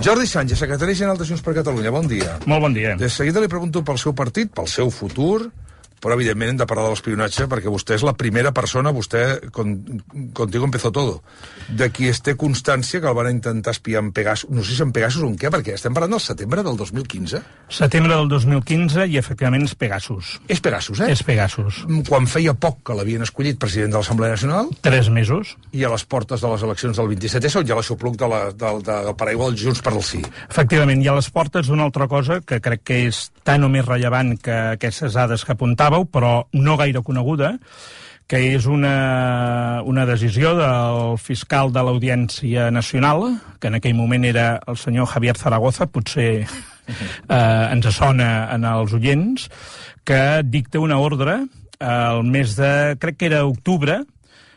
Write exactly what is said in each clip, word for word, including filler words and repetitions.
Jordi Sánchez, secretari general de Junts per Catalunya, bon dia. Molt bon dia. De seguida li pregunto pel seu partit, pel seu futur, però evidentment hem de parlar de l'espionatge perquè vostè és la primera persona, vostè, con, contigo empezó todo, de qui es té constància que el van intentar espiar en Pegasus, no sé si en Pegasus o en què, perquè estem parlant del setembre del dos mil quinze. Setembre del dos mil quinze i efectivament és Pegasus. És Pegasus, eh? És Pegasus. Quan feia poc que l'havien escollit president de l'Assemblea Nacional. Tres mesos. I a les portes de les eleccions del vint-i-set essa, on hi ha l'aixopluc de la, del, del paraigua dels Junts per al Sí. Efectivament, i a les portes d'una altra cosa que crec que és tan o més rellevant que aquestes dades que apuntàveu, però no gaire coneguda, que és una, una decisió del fiscal de l'Audiència Nacional, que en aquell moment era el senyor Javier Zaragoza, potser eh, ens sona en els oients, que dicta una ordre al mes de, crec que era octubre,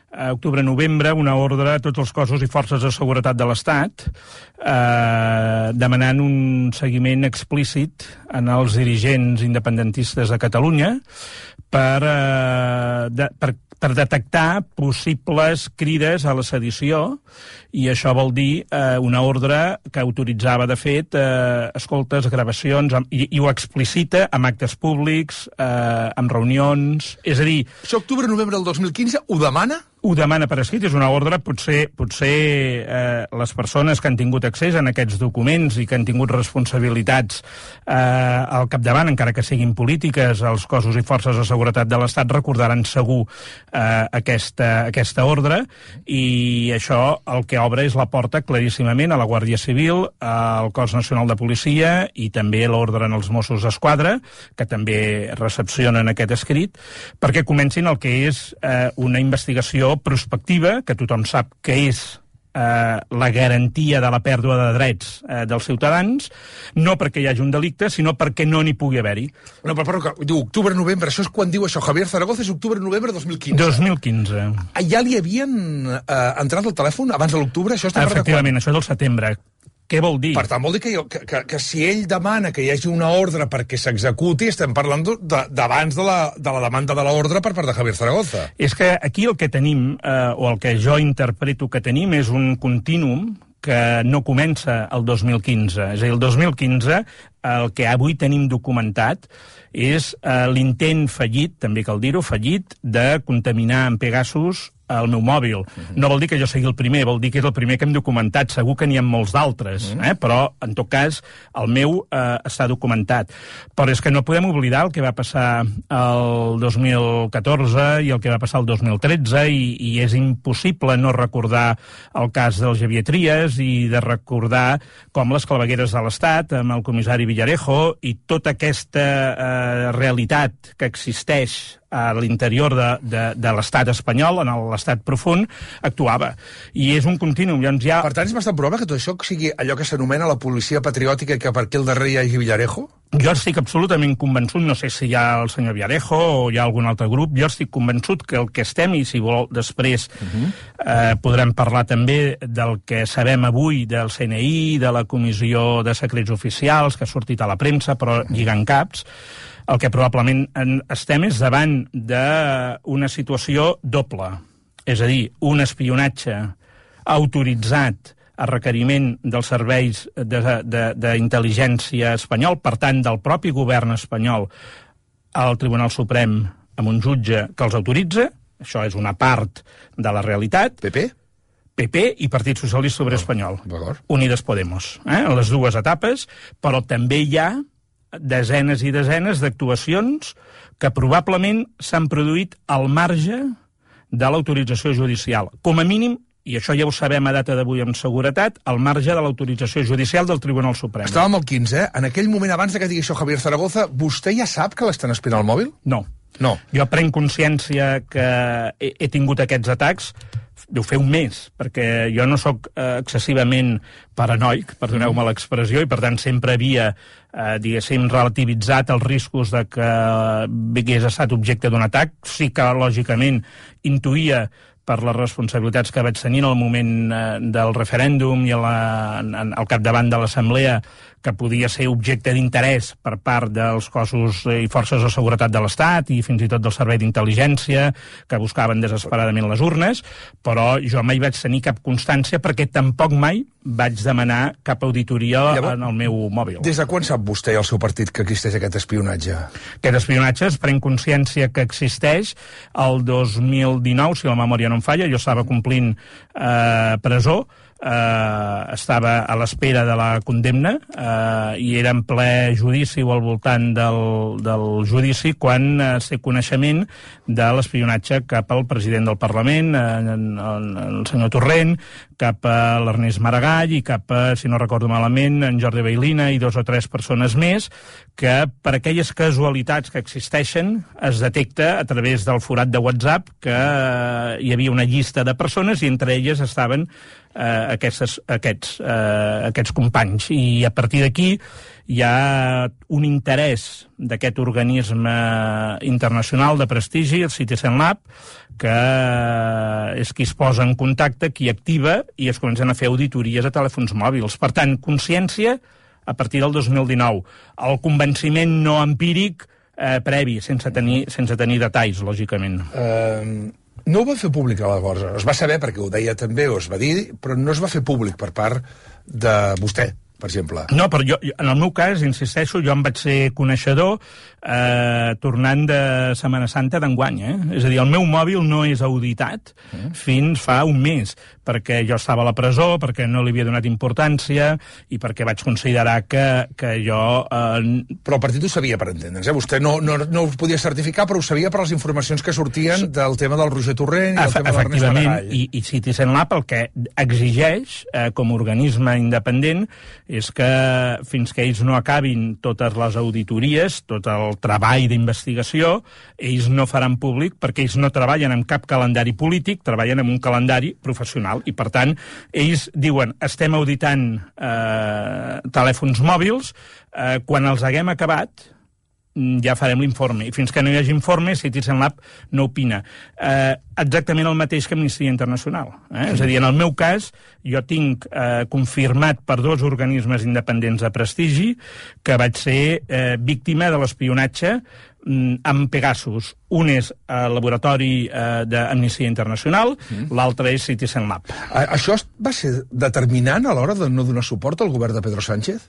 a octubre-novembre, una ordre a tots els cossos i forces de seguretat de l'Estat eh, demanant un seguiment explícit en els dirigents independentistes de Catalunya per, eh, de, per, per detectar possibles crides a la sedició, i això vol dir eh, una ordre que autoritzava, de fet, eh, escoltes, gravacions, i, i ho explicita amb actes públics, eh, amb reunions... És a dir... Això octubre-novembre del dos mil quinze ho demana? Ho demana per escrit, és una ordre, potser, potser eh, les persones que han tingut accés a aquests documents i que han tingut responsabilitats eh, al capdavant, encara que siguin polítiques, els cossos i forces de seguretat de l'Estat recordaran segur eh, aquesta, aquesta ordre, i això el que obre és la porta claríssimament a la Guàrdia Civil, al Cos Nacional de Policia i també l'ordre en els Mossos d'Esquadra, que també recepcionen aquest escrit, perquè comencin el que és eh, una investigació prospectiva, que tothom sap que és eh, la garantia de la pèrdua de drets eh, dels ciutadans, no perquè hi hagi un delicte, sinó perquè no n'hi pugui haver-hi. No, però, però diu octubre-novembre, això és quan diu això, Javier Zaragoza, és octubre-novembre dos mil quinze. dos mil quinze. Ja li havien eh, entrat al telèfon abans de l'octubre? Això està Efectivament, això és del setembre. Què vol dir? Per tant, vol dir que, que, que, que si ell demana que hi hagi una ordre perquè s'executi, estem parlant d'abans de, de, la, de la demanda de l'ordre per part de Javier Zaragoza. És que aquí el que tenim, eh, o el que jo interpreto que tenim, és un contínuum que no comença el dos mil quinze. És a dir, el dos mil quinze, el que avui tenim documentat és eh, l'intent fallit, també cal dir-ho, fallit, de contaminar amb Pegasus el meu mòbil. No vol dir que jo sigui el primer, vol dir que és el primer que hem documentat. Segur que n'hi ha molts d'altres, eh? Però, en tot cas, el meu eh, està documentat. Però és que no podem oblidar el que va passar el dos mil catorze i el que va passar el dos mil tretze, i, i és impossible no recordar el cas del Xavier Trias i de recordar com les clavegueres de l'Estat, amb el comissari Villarejo, i tota aquesta eh, realitat que existeix a l'interior de, de, de l'estat espanyol, en l'estat profund, actuava. I és un continuum. Llavors ja... Per tant, és bastant probable que tot això sigui allò que s'anomena la policia patriòtica, que per aquí al darrere hi hagi Villarejo? Jo estic absolutament convençut, no sé si hi ha el senyor Villarejo o hi ha algun altre grup, jo estic convençut que el que estem, i si vol després uh-huh. eh, podrem parlar també del que sabem avui del C N I, de la Comissió de Secrets Oficials, que ha sortit a la premsa, però lligant caps, el que probablement estem és davant d'una situació doble. És a dir, un espionatge autoritzat a requeriment dels serveis d'intel·ligència espanyol, per tant, del propi govern espanyol, al Tribunal Suprem, amb un jutge que els autoritza. Això és una part de la realitat. P P? P P i Partit Socialista Obrer Espanyol. Unides Podemos. Eh? Les dues etapes, però també hi ha desenes i desenes d'actuacions que probablement s'han produït al marge de l'autorització judicial. Com a mínim, i això ja ho sabem a data d'avui amb seguretat, al marge de l'autorització judicial del Tribunal Suprem. Estàvem al quinze, eh? En aquell moment, abans que digui això Javier Zaragoza, vostè ja sap que l'estan espiant al mòbil? No. No. Jo prenc consciència que he, he tingut aquests atacs, deu fer un mes, perquè jo no sóc eh, excessivament paranoic, perdoneu-me l'expressió, i per tant sempre havia, eh, diguéssim, relativitzat els riscos de que hagués estat objecte d'un atac. Sí que, lògicament, intuïa per les responsabilitats que vaig tenir en el moment eh, del referèndum i a la, en, al capdavant de l'Assemblea, que podia ser objecte d'interès per part dels cossos i forces de seguretat de l'Estat i fins i tot del Servei d'Intel·ligència, que buscaven desesperadament les urnes, però jo mai vaig tenir cap constància perquè tampoc mai vaig demanar cap auditoria Llavors, en el meu mòbil. Des de quan sap vostè i el seu partit que existeix aquest espionatge? Aquest espionatge es pren consciència que existeix el dos mil dinou, si la memòria no em falla, jo estava complint eh, presó, eh, estava a l'espera de la condemna eh, i era en ple judici o al voltant del, del judici quan eh, sé coneixement de l'espionatge cap al president del Parlament, eh, el, el senyor Torrent, cap a l'Ernest Maragall i cap a, si no recordo malament, en Jordi Bailina i dos o tres persones més, que per aquelles casualitats que existeixen es detecta a través del forat de WhatsApp que eh, hi havia una llista de persones i entre elles estaven eh, aquestes, aquests, eh, aquests companys. I a partir d'aquí hi ha un interès d'aquest organisme internacional de prestigi, el Citizen Lab, que és qui es posa en contacte, qui activa, i es comencen a fer auditories a telèfons mòbils. Per tant, consciència a partir del dos mil dinou. El convenciment no empíric eh, previ, sense tenir, sense tenir detalls, lògicament. Uh, no ho va fer públic aleshores. Es va saber perquè ho deia també, o es va dir, però no es va fer públic per part de vostè, per exemple. No, però jo, en el meu cas, insisteixo, jo em vaig ser coneixedor eh, tornant de Setmana Santa d'enguany, eh? És a dir, el meu mòbil no és auditat mm. fins fa un mes, perquè jo estava a la presó, perquè no li havia donat importància i perquè vaig considerar que, que jo... Eh... Però el partit ho sabia, per entendre'ns, eh? Vostè no, no, no ho podia certificar, però ho sabia per les informacions que sortien del tema del Roger Torrent i del tema de l'Ernest Maragall. I, i Citizen Lab el que exigeix, eh, com a organisme independent, és que fins que ells no acabin totes les auditories, tot el treball d'investigació, ells no faran públic perquè ells no treballen amb cap calendari polític, treballen amb un calendari professional i, per tant, ells diuen estem auditant eh, telèfons mòbils, eh, quan els haguem acabat ja farem l'informe. I fins que no hi hagi informe, Citizen Lab no opina. Eh, exactament el mateix que Amnistia Internacional. Eh? És a dir, en el meu cas, jo tinc eh, confirmat per dos organismes independents de prestigi que vaig ser eh, víctima de l'espionatge mm, amb Pegasus. Un és el laboratori eh, d'Amnistia Internacional, mm. l'altre és Citizen Lab. A això va ser determinant a l'hora de no donar suport al govern de Pedro Sánchez?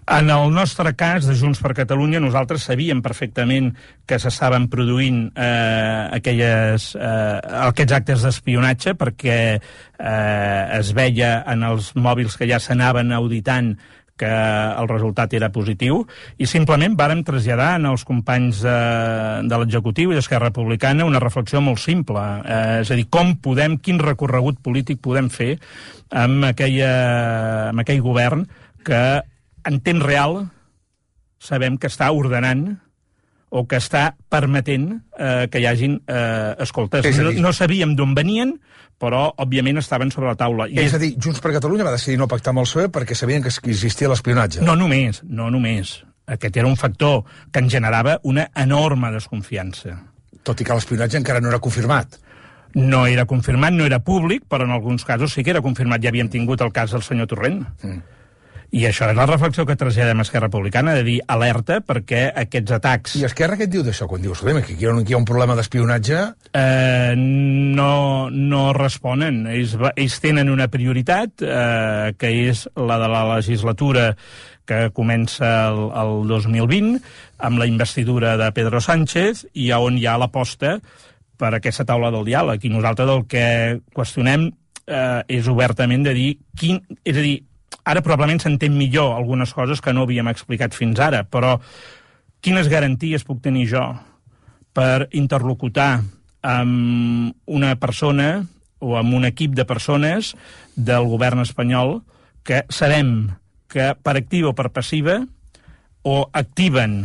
En el nostre cas, de Junts per Catalunya, nosaltres sabíem perfectament que s'estaven produint eh, aquelles, eh, aquests actes d'espionatge perquè eh, es veia en els mòbils que ja s'anaven auditant que el resultat era positiu, i simplement vàrem traslladar als companys de, de l'executiu i d'Esquerra Republicana una reflexió molt simple, eh, és a dir, com podem, quin recorregut polític podem fer amb, aquella, amb aquell govern que en temps real sabem que està ordenant o que està permetent eh, que hi hagin eh, escoltes. No, no sabíem d'on venien, però, òbviament, estaven sobre la taula. I és a dir, Junts per Catalunya va decidir no pactar amb el P S O E perquè sabien que existia l'espionatge. No només, no només. Aquest era un factor que en generava una enorme desconfiança. Tot i que l'espionatge encara no era confirmat. No era confirmat, no era públic, però en alguns casos sí que era confirmat. Ja havíem tingut el cas del senyor Torrent. Mm. I això és la reflexió que traslladem a Esquerra Republicana, de dir alerta perquè aquests atacs... I Esquerra què et diu d'això? Quan dius, que aquí hi ha un, aquí hi ha un problema d'espionatge... Eh, no, no responen. Ells, ells tenen una prioritat, eh, que és la de la legislatura que comença el, el dos mil vint, amb la investidura de Pedro Sánchez, i on hi ha l'aposta per aquesta taula del diàleg. I nosaltres el que qüestionem eh, és obertament de dir... Quin, és a dir, ara probablement s'entén millor algunes coses que no havíem explicat fins ara, però quines garanties puc tenir jo per interlocutar amb una persona o amb un equip de persones del govern espanyol que sabem que per activa o per passiva o activen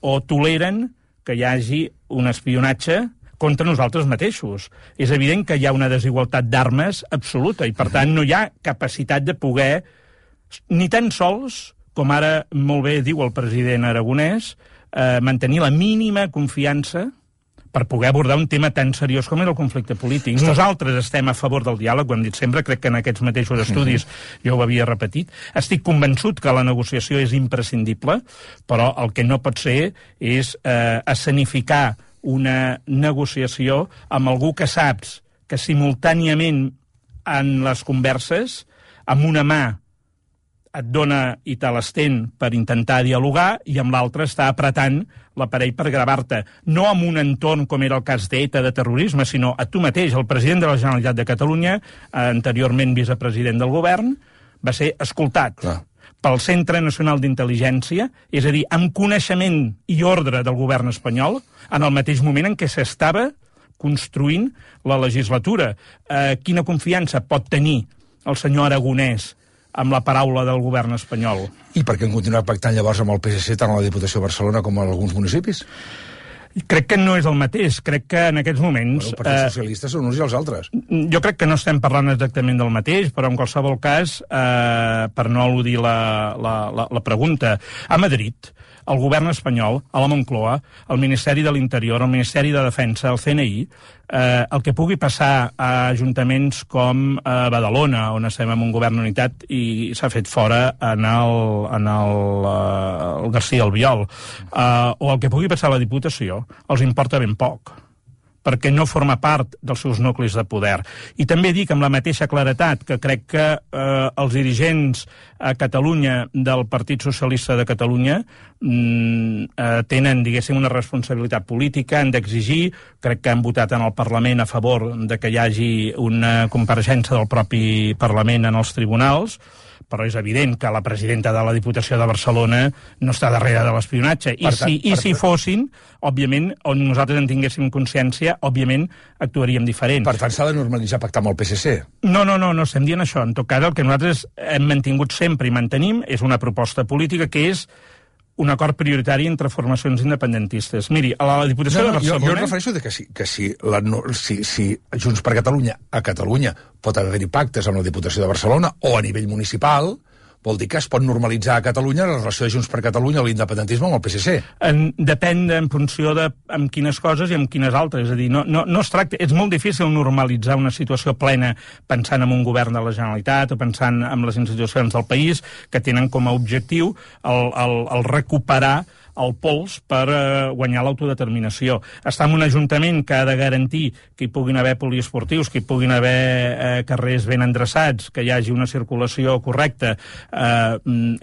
o toleren que hi hagi un espionatge contra nosaltres mateixos. És evident que hi ha una desigualtat d'armes absoluta i, per tant, no hi ha capacitat de poder, ni tan sols, com ara molt bé diu el president aragonès, eh, mantenir la mínima confiança per poder abordar un tema tan seriós com era el conflicte polític. Està... Nosaltres estem a favor del diàleg, ho hem dit sempre, crec que en aquests mateixos estudis mm-hmm. jo ho havia repetit. Estic convençut que la negociació és imprescindible, però el que no pot ser és eh, escenificar una negociació amb algú que saps que simultàniament en les converses, amb una mà et dona i te l'estén per intentar dialogar i amb l'altra està apretant l'aparell per gravar-te. No amb un entorn com era el cas d'ETA, de terrorisme, sinó a tu mateix. El president de la Generalitat de Catalunya, anteriorment vicepresident del govern, va ser escoltat Clar. pel Centre Nacional d'Intel·ligència, és a dir, amb coneixement i ordre del govern espanyol, en el mateix moment en què s'estava construint la legislatura. Eh, quina confiança pot tenir el senyor Aragonès amb la paraula del govern espanyol? I per què han continuat pactant llavors amb el P S C tant a la Diputació de Barcelona com a alguns municipis? Crec que no és el mateix. Crec que en aquests moments... Bueno, els partits eh, socialistes són uns i els altres. Jo crec que no estem parlant exactament del mateix, però en qualsevol cas, eh, per no al·ludir la, la, la, la pregunta, a Madrid, el govern espanyol, a la Moncloa, el Ministeri de l'Interior, el Ministeri de Defensa, el C N I, eh, el que pugui passar a ajuntaments com a Badalona, on estem en un govern unitat i s'ha fet fora en el, en el, uh, el García Albiol, uh, o el que pugui passar a la Diputació, els importa ben poc, perquè no forma part dels seus nuclis de poder. I també dic amb la mateixa claretat que crec que eh, els dirigents a Catalunya del Partit Socialista de Catalunya mm, eh, tenen, diguéssim, una responsabilitat política, han d'exigir, crec que han votat en el Parlament a favor de que hi hagi una compareixença del propi Parlament en els tribunals, però és evident que la presidenta de la Diputació de Barcelona no està darrere de l'espionatge. I, si, i si fossin, òbviament, on nosaltres en tinguéssim consciència, òbviament actuaríem diferent. Per tant, s'ha de normalitzar pactar amb el P S C? No, no, no, no estem dient això. En tot cas, el que nosaltres hem mantingut sempre i mantenim és una proposta política que és un acord prioritari entre formacions independentistes. Miri, a la Diputació no, no, de Barcelona... Jo, jo em refereixo de que si, que si, la, no, si, si Junts per Catalunya a Catalunya pot haver-hi pactes amb la Diputació de Barcelona o a nivell municipal, vol dir que es pot normalitzar a Catalunya la relació de Junts per Catalunya o l'independentisme amb el P S C. En, depèn en funció de amb quines coses i amb quines altres. És a dir, no, no, no es tracta... És molt difícil normalitzar una situació plena pensant en un govern de la Generalitat o pensant en les institucions del país que tenen com a objectiu el, el, el recuperar el pols per eh, guanyar l'autodeterminació. Està en un ajuntament que ha de garantir que hi puguin haver poliesportius, que hi puguin haver eh, carrers ben endreçats, que hi hagi una circulació correcta. Eh,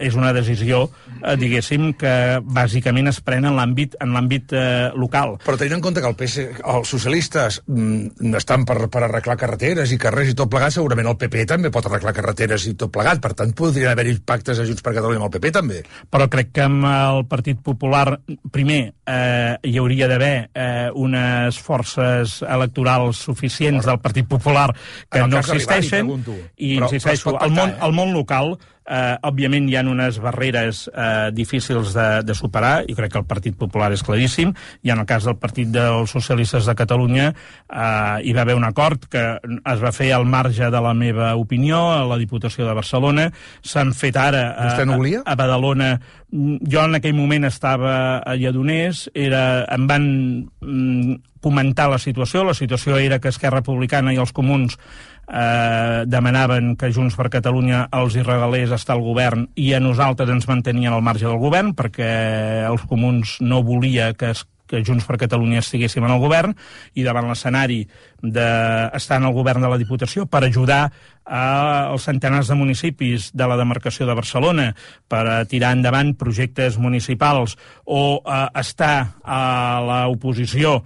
és una decisió, eh, diguéssim, que bàsicament es pren en l'àmbit en l'àmbit eh, local. Però tenint en compte que el P S, els socialistes mm, estan per, per arreglar carreteres i carrers i tot plegat, segurament el P P també pot arreglar carreteres i tot plegat. Per tant, podrien haver-hi pactes a Junts per Catalunya amb el P P també. Però crec que amb el Partit Popular Popular, primer, eh, hi hauria d'haver eh, unes forces electorals suficients del Partit Popular que no existeixen, i insisteixo, al món, al món local eh, òbviament hi ha unes barreres eh, difícils de, de superar, i crec que el Partit Popular és claríssim, i en el cas del Partit dels Socialistes de Catalunya eh, hi va haver un acord que es va fer al marge de la meva opinió a la Diputació de Barcelona, s'han fet ara a, a, a Badalona. Jo en aquell moment estava a Lledoners, era, em van mm, comentar la situació, la situació era que Esquerra Republicana i els Comuns eh, demanaven que Junts per Catalunya els hi regalés estar al govern i a nosaltres ens mantenien al marge del govern perquè els Comuns no volia que es que Junts per Catalunya estiguéssim en el govern, i davant l'escenari d'estar en el govern de la Diputació per ajudar als centenars de municipis de la demarcació de Barcelona per a tirar endavant projectes municipals o a estar a l'oposició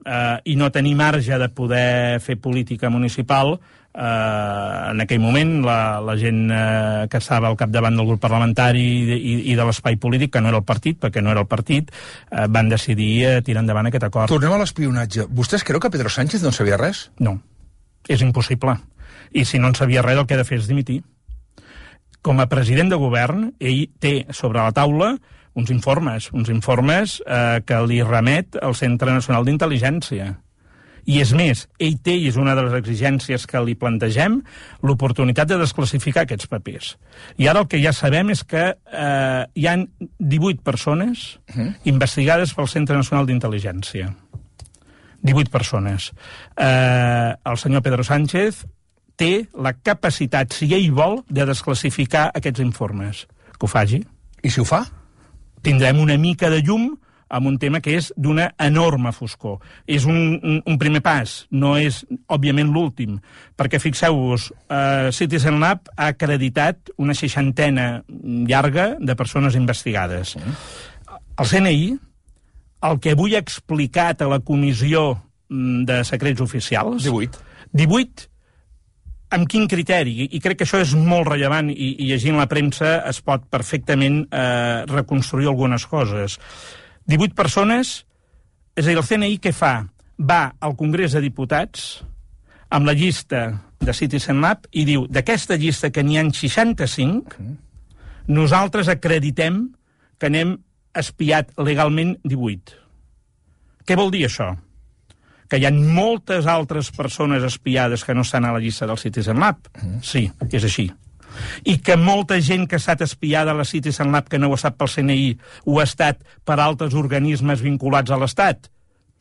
eh, i no tenir marge de poder fer política municipal, Uh, en aquell moment la, la gent uh, que estava al capdavant del grup parlamentari i, i, i de l'espai polític, que no era el partit, perquè no era el partit, uh, van decidir uh, tirar endavant aquest acord. Tornem a l'espionatge. Vostès creu que Pedro Sánchez no en sabia res? No, és impossible. I si no en sabia res, el que ha de fer és dimitir. Com a president de govern, ell té sobre la taula uns informes, uns informes uh, que li remet al Centre Nacional d'Intel·ligència. I és més, ell té, i és una de les exigències que li plantegem, l'oportunitat de desclassificar aquests papers. I ara el que ja sabem és que eh, hi ha divuit persones uh-huh. investigades pel Centre Nacional d'Intel·ligència. divuit persones. Eh, el senyor Pedro Sánchez té la capacitat, si ell vol, de desclassificar aquests informes. Que ho faci. I si ho fa? Tindrem una mica de llum amb un tema que és d'una enorme foscor. És un, un, un primer pas, no és, òbviament, l'últim, perquè, fixeu-vos, eh, Citizen Lab ha acreditat una seixantena llarga de persones investigades. El C N I, el que avui ha explicat a la Comissió de Secrets Oficials... divuit. divuit, amb quin criteri? I crec que això és molt rellevant i, i llegint la premsa es pot perfectament eh, reconstruir algunes coses. divuit persones, és a dir, el C N I què fa? Va al Congrés de Diputats amb la llista de Citizen Lab i diu, d'aquesta llista que n'hi ha seixanta-cinc, nosaltres acreditem que n'hem espiat legalment divuit. Què vol dir això? Que hi ha moltes altres persones espiades que no estan a la llista del Citizen Lab? Sí, és així. I que molta gent que ha estat espiada a la Citizen Lab que no ho ha estat pel C N I ho ha estat per altres organismes vinculats a l'Estat?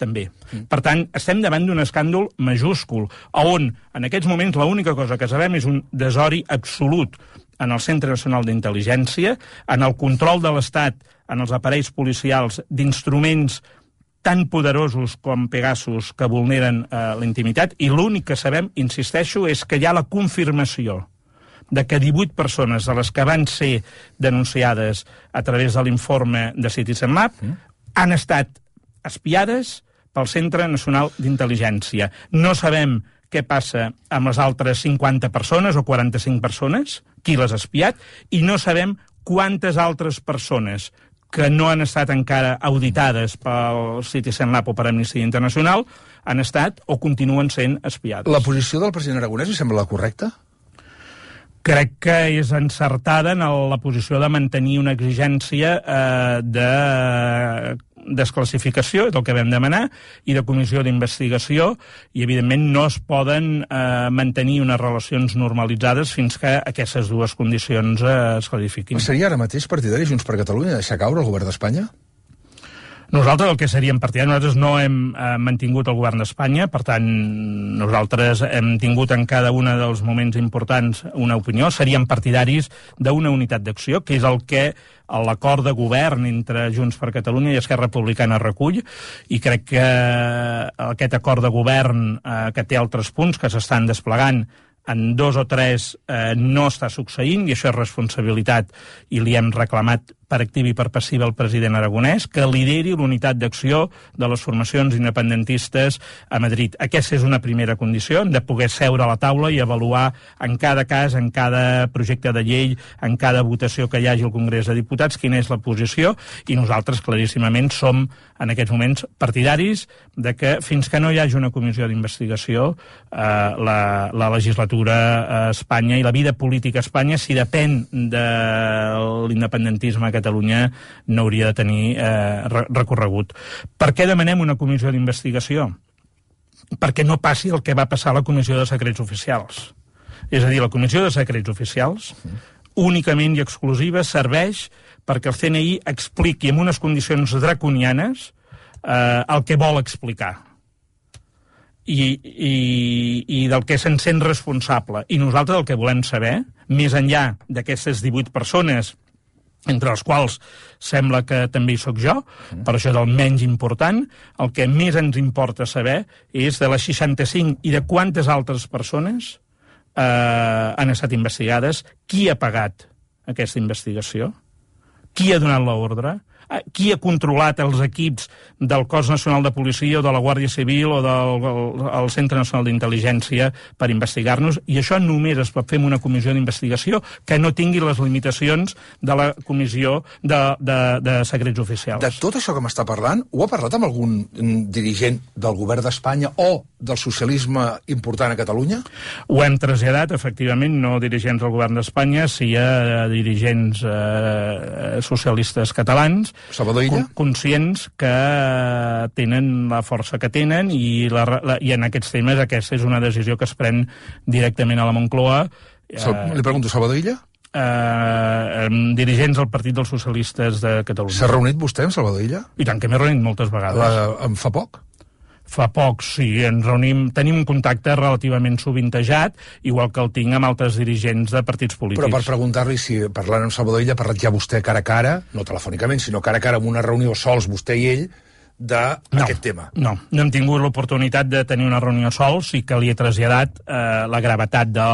També. Per tant, estem davant d'un escàndol majúscul, on en aquests moments l'única cosa que sabem és un desori absolut en el Centre Nacional d'Intel·ligència, en el control de l'Estat, en els aparells policials, d'instruments tan poderosos com Pegasus que vulneren eh, la intimitat, i l'únic que sabem, insisteixo, és que hi ha la confirmació de que divuit persones de les que van ser denunciades a través de l'informe de Citizen Lab mm. han estat espiades pel Centre Nacional d'Intel·ligència. No sabem què passa amb les altres cinquanta persones o quaranta-cinc persones, qui les ha espiat, i no sabem quantes altres persones que no han estat encara auditades pel Citizen Lab o per Amnistia Internacional han estat o continuen sent espiades. La posició del president Aragonès li sembla la correcta? Crec que és encertada en la posició de mantenir una exigència eh, de desclassificació, és el que vam demanar, i de comissió d'investigació, i evidentment no es poden eh, mantenir unes relacions normalitzades fins que aquestes dues condicions eh, es clarifiquin. Seria ara mateix partidari Junts per Catalunya deixar caure el govern d'Espanya? Nosaltres el que seríem partidaris, nosaltres no hem eh, mantingut el govern d'Espanya, per tant, nosaltres hem tingut en cada un dels moments importants una opinió, seríem partidaris d'una unitat d'acció, que és el que l'acord de govern entre Junts per Catalunya i Esquerra Republicana recull, i crec que aquest acord de govern eh, que té altres punts que s'estan desplegant en dos o tres eh, no està succeint, i això és responsabilitat, i li hem reclamat per activa i per passiva el president Aragonès, que lideri l'unitat d'acció de les formacions independentistes a Madrid. Aquesta és una primera condició, de poder seure a la taula i avaluar en cada cas, en cada projecte de llei, en cada votació que hi hagi al Congrés de Diputats, quina és la posició, i nosaltres claríssimament som en aquests moments partidaris de que fins que no hi hagi una comissió d'investigació eh, la, la legislatura a Espanya i la vida política a Espanya, si depèn de l'independentisme a Catalunya, no hauria de tenir eh, recorregut. Per què demanem una comissió d'investigació? Perquè no passi el que va passar a la Comissió de Secrets Oficials. És a dir, la Comissió de Secrets Oficials únicament i exclusiva serveix perquè el C N I expliqui en unes condicions draconianes eh, el que vol explicar. I, i, i del que se'n sent responsable. I nosaltres el que volem saber, més enllà d'aquestes divuit persones, entre els quals sembla que també hi soc jo, mm. per això és el menys important, el que més ens importa saber és de les seixanta-cinc i de quantes altres persones eh, han estat investigades, qui ha pagat aquesta investigació, qui ha donat l'ordre, qui ha controlat els equips del Cos Nacional de Policia o de la Guàrdia Civil o del el Centre Nacional d'Intel·ligència per investigar-nos, i això només es pot fer amb una comissió d'investigació que no tingui les limitacions de la comissió de, de, de secrets oficials. De tot això que m'està parlant, ho ha parlat amb algun dirigent del govern d'Espanya o del socialisme important a Catalunya? Ho hem traslladat, efectivament, no dirigents del govern d'Espanya, sí a dirigents eh, socialistes catalans, Salvador Illa? Conscients que tenen la força que tenen, i, la, la, i en aquests temes aquesta és una decisió que es pren directament a la Moncloa. Sal, eh, li pregunto, Salvador Illa? Eh, dirigents del Partit dels Socialistes de Catalunya. S'ha reunit vostè amb Salvador Illa? I tant, que m'he reunit moltes vegades. La, en fa poc? Fa poc, sí, ens reunim, tenim un contacte relativament sovintejat, igual que el tinc amb altres dirigents de partits polítics. Però per preguntar-li si, parlant amb Salvador Illa, ha parlat ja vostè cara a cara, no telefònicament, sinó cara a cara en una reunió sols, vostè i ell, d'aquest no, tema. No, no hem tingut l'oportunitat de tenir una reunió sols i que li he traslladat eh, la gravetat de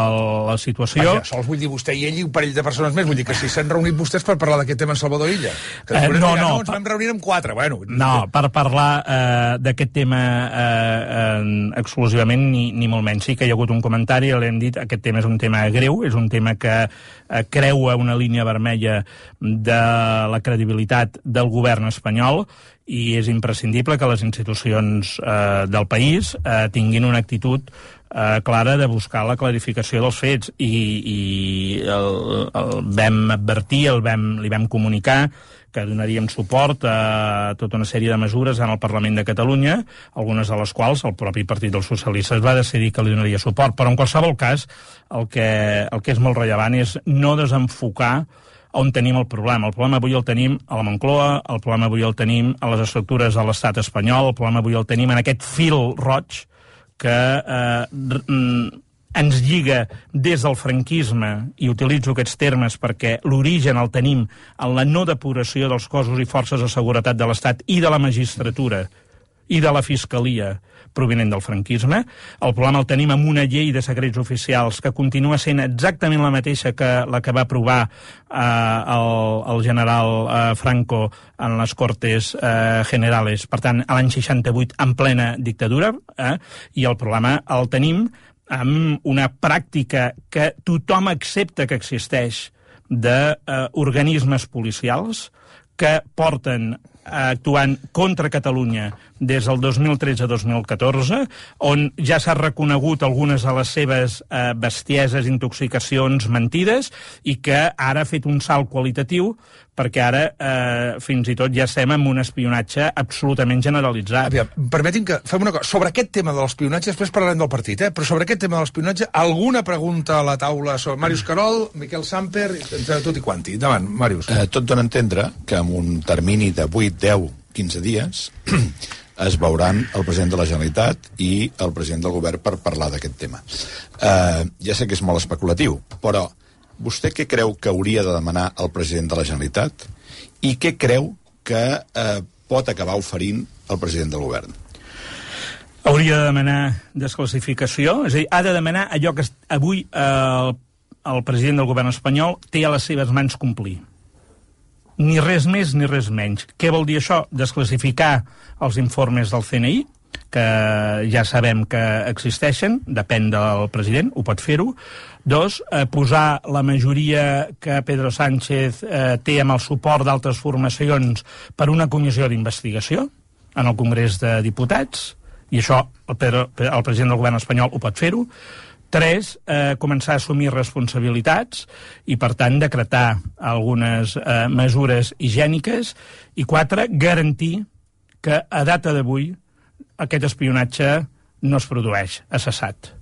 la situació. Vaja, sols vull dir vostè i ell i un parell de persones més, vull dir que si s'han reunit vostès per parlar d'aquest tema en Salvador Illa. Que eh, no, dirà, no, no, ens vam reunir amb quatre, bueno. No, per parlar eh, d'aquest tema eh, eh, exclusivament, ni, ni molt menys. Sí que hi ha hagut un comentari, l'hem dit, aquest tema és un tema greu, és un tema que eh, creua una línia vermella de la credibilitat del govern espanyol, i és imprescindible que les institucions eh, del país eh, tinguin una actitud eh, clara de buscar la clarificació dels fets, i, i el, el vam advertir, el vam, li vam comunicar que donaríem suport a tota una sèrie de mesures en el Parlament de Catalunya, algunes de les quals el propi Partit dels Socialistes va decidir que li donaria suport. Però en qualsevol cas, el que, el que és molt rellevant és no desenfocar on tenim el problema. El problema avui el tenim a la Moncloa, el problema avui el tenim a les estructures de l'estat espanyol, el problema avui el tenim en aquest fil roig que eh, ens lliga des del franquisme, i utilitzo aquests termes perquè l'origen el tenim en la no depuració dels cossos i forces de seguretat de l'estat i de la magistratura i de la fiscalia provinent del franquisme. El problema el tenim amb una llei de secrets oficials que continua sent exactament la mateixa que la que va aprovar eh, el, el general eh, Franco en les Cortes eh, Generales, per tant, a l'any seixanta-vuit, en plena dictadura, eh, i el problema el tenim amb una pràctica que tothom accepta que existeix d'organismes eh, policials que porten actuant contra Catalunya des del dos mil tretze a dos mil catorze, on ja s'ha reconegut algunes de les seves eh, bestieses, intoxicacions, mentides, i que ara ha fet un salt qualitatiu perquè ara eh, fins i tot ja estem amb un espionatge absolutament generalitzat. Aviam, permetin que fem una cosa. Sobre aquest tema de l'espionatge, després parlarem del partit, eh? Però sobre aquest tema de l'espionatge, alguna pregunta a la taula sobre Màrius Carol, Miquel Samper, entre tot i quanti. Endavant, Màrius. Eh, tot dona a entendre que en un termini de vuit, deu, quinze dies es veuran el president de la Generalitat i el president del govern per parlar d'aquest tema. Eh, ja sé que és molt especulatiu, però vostè què creu que hauria de demanar el president de la Generalitat i què creu que eh, pot acabar oferint el president del govern? Hauria de demanar desclassificació, és a dir, ha de demanar allò que avui eh, el, el president del govern espanyol té a les seves mans complir. Ni res més ni res menys. Què vol dir això? Desclassificar els informes del C N I, que ja sabem que existeixen, depèn del president, ho pot fer-ho. Dos, eh, posar la majoria que Pedro Sánchez eh, té amb el suport d'altres formacions per una comissió d'investigació en el Congrés de Diputats, i això el, Pedro, el president del govern espanyol ho pot fer-ho. Tres, eh, començar a assumir responsabilitats i, per tant, decretar algunes eh, mesures higièniques. I quatre, garantir que a data d'avui aquest espionatge no es produeix, ha cessat.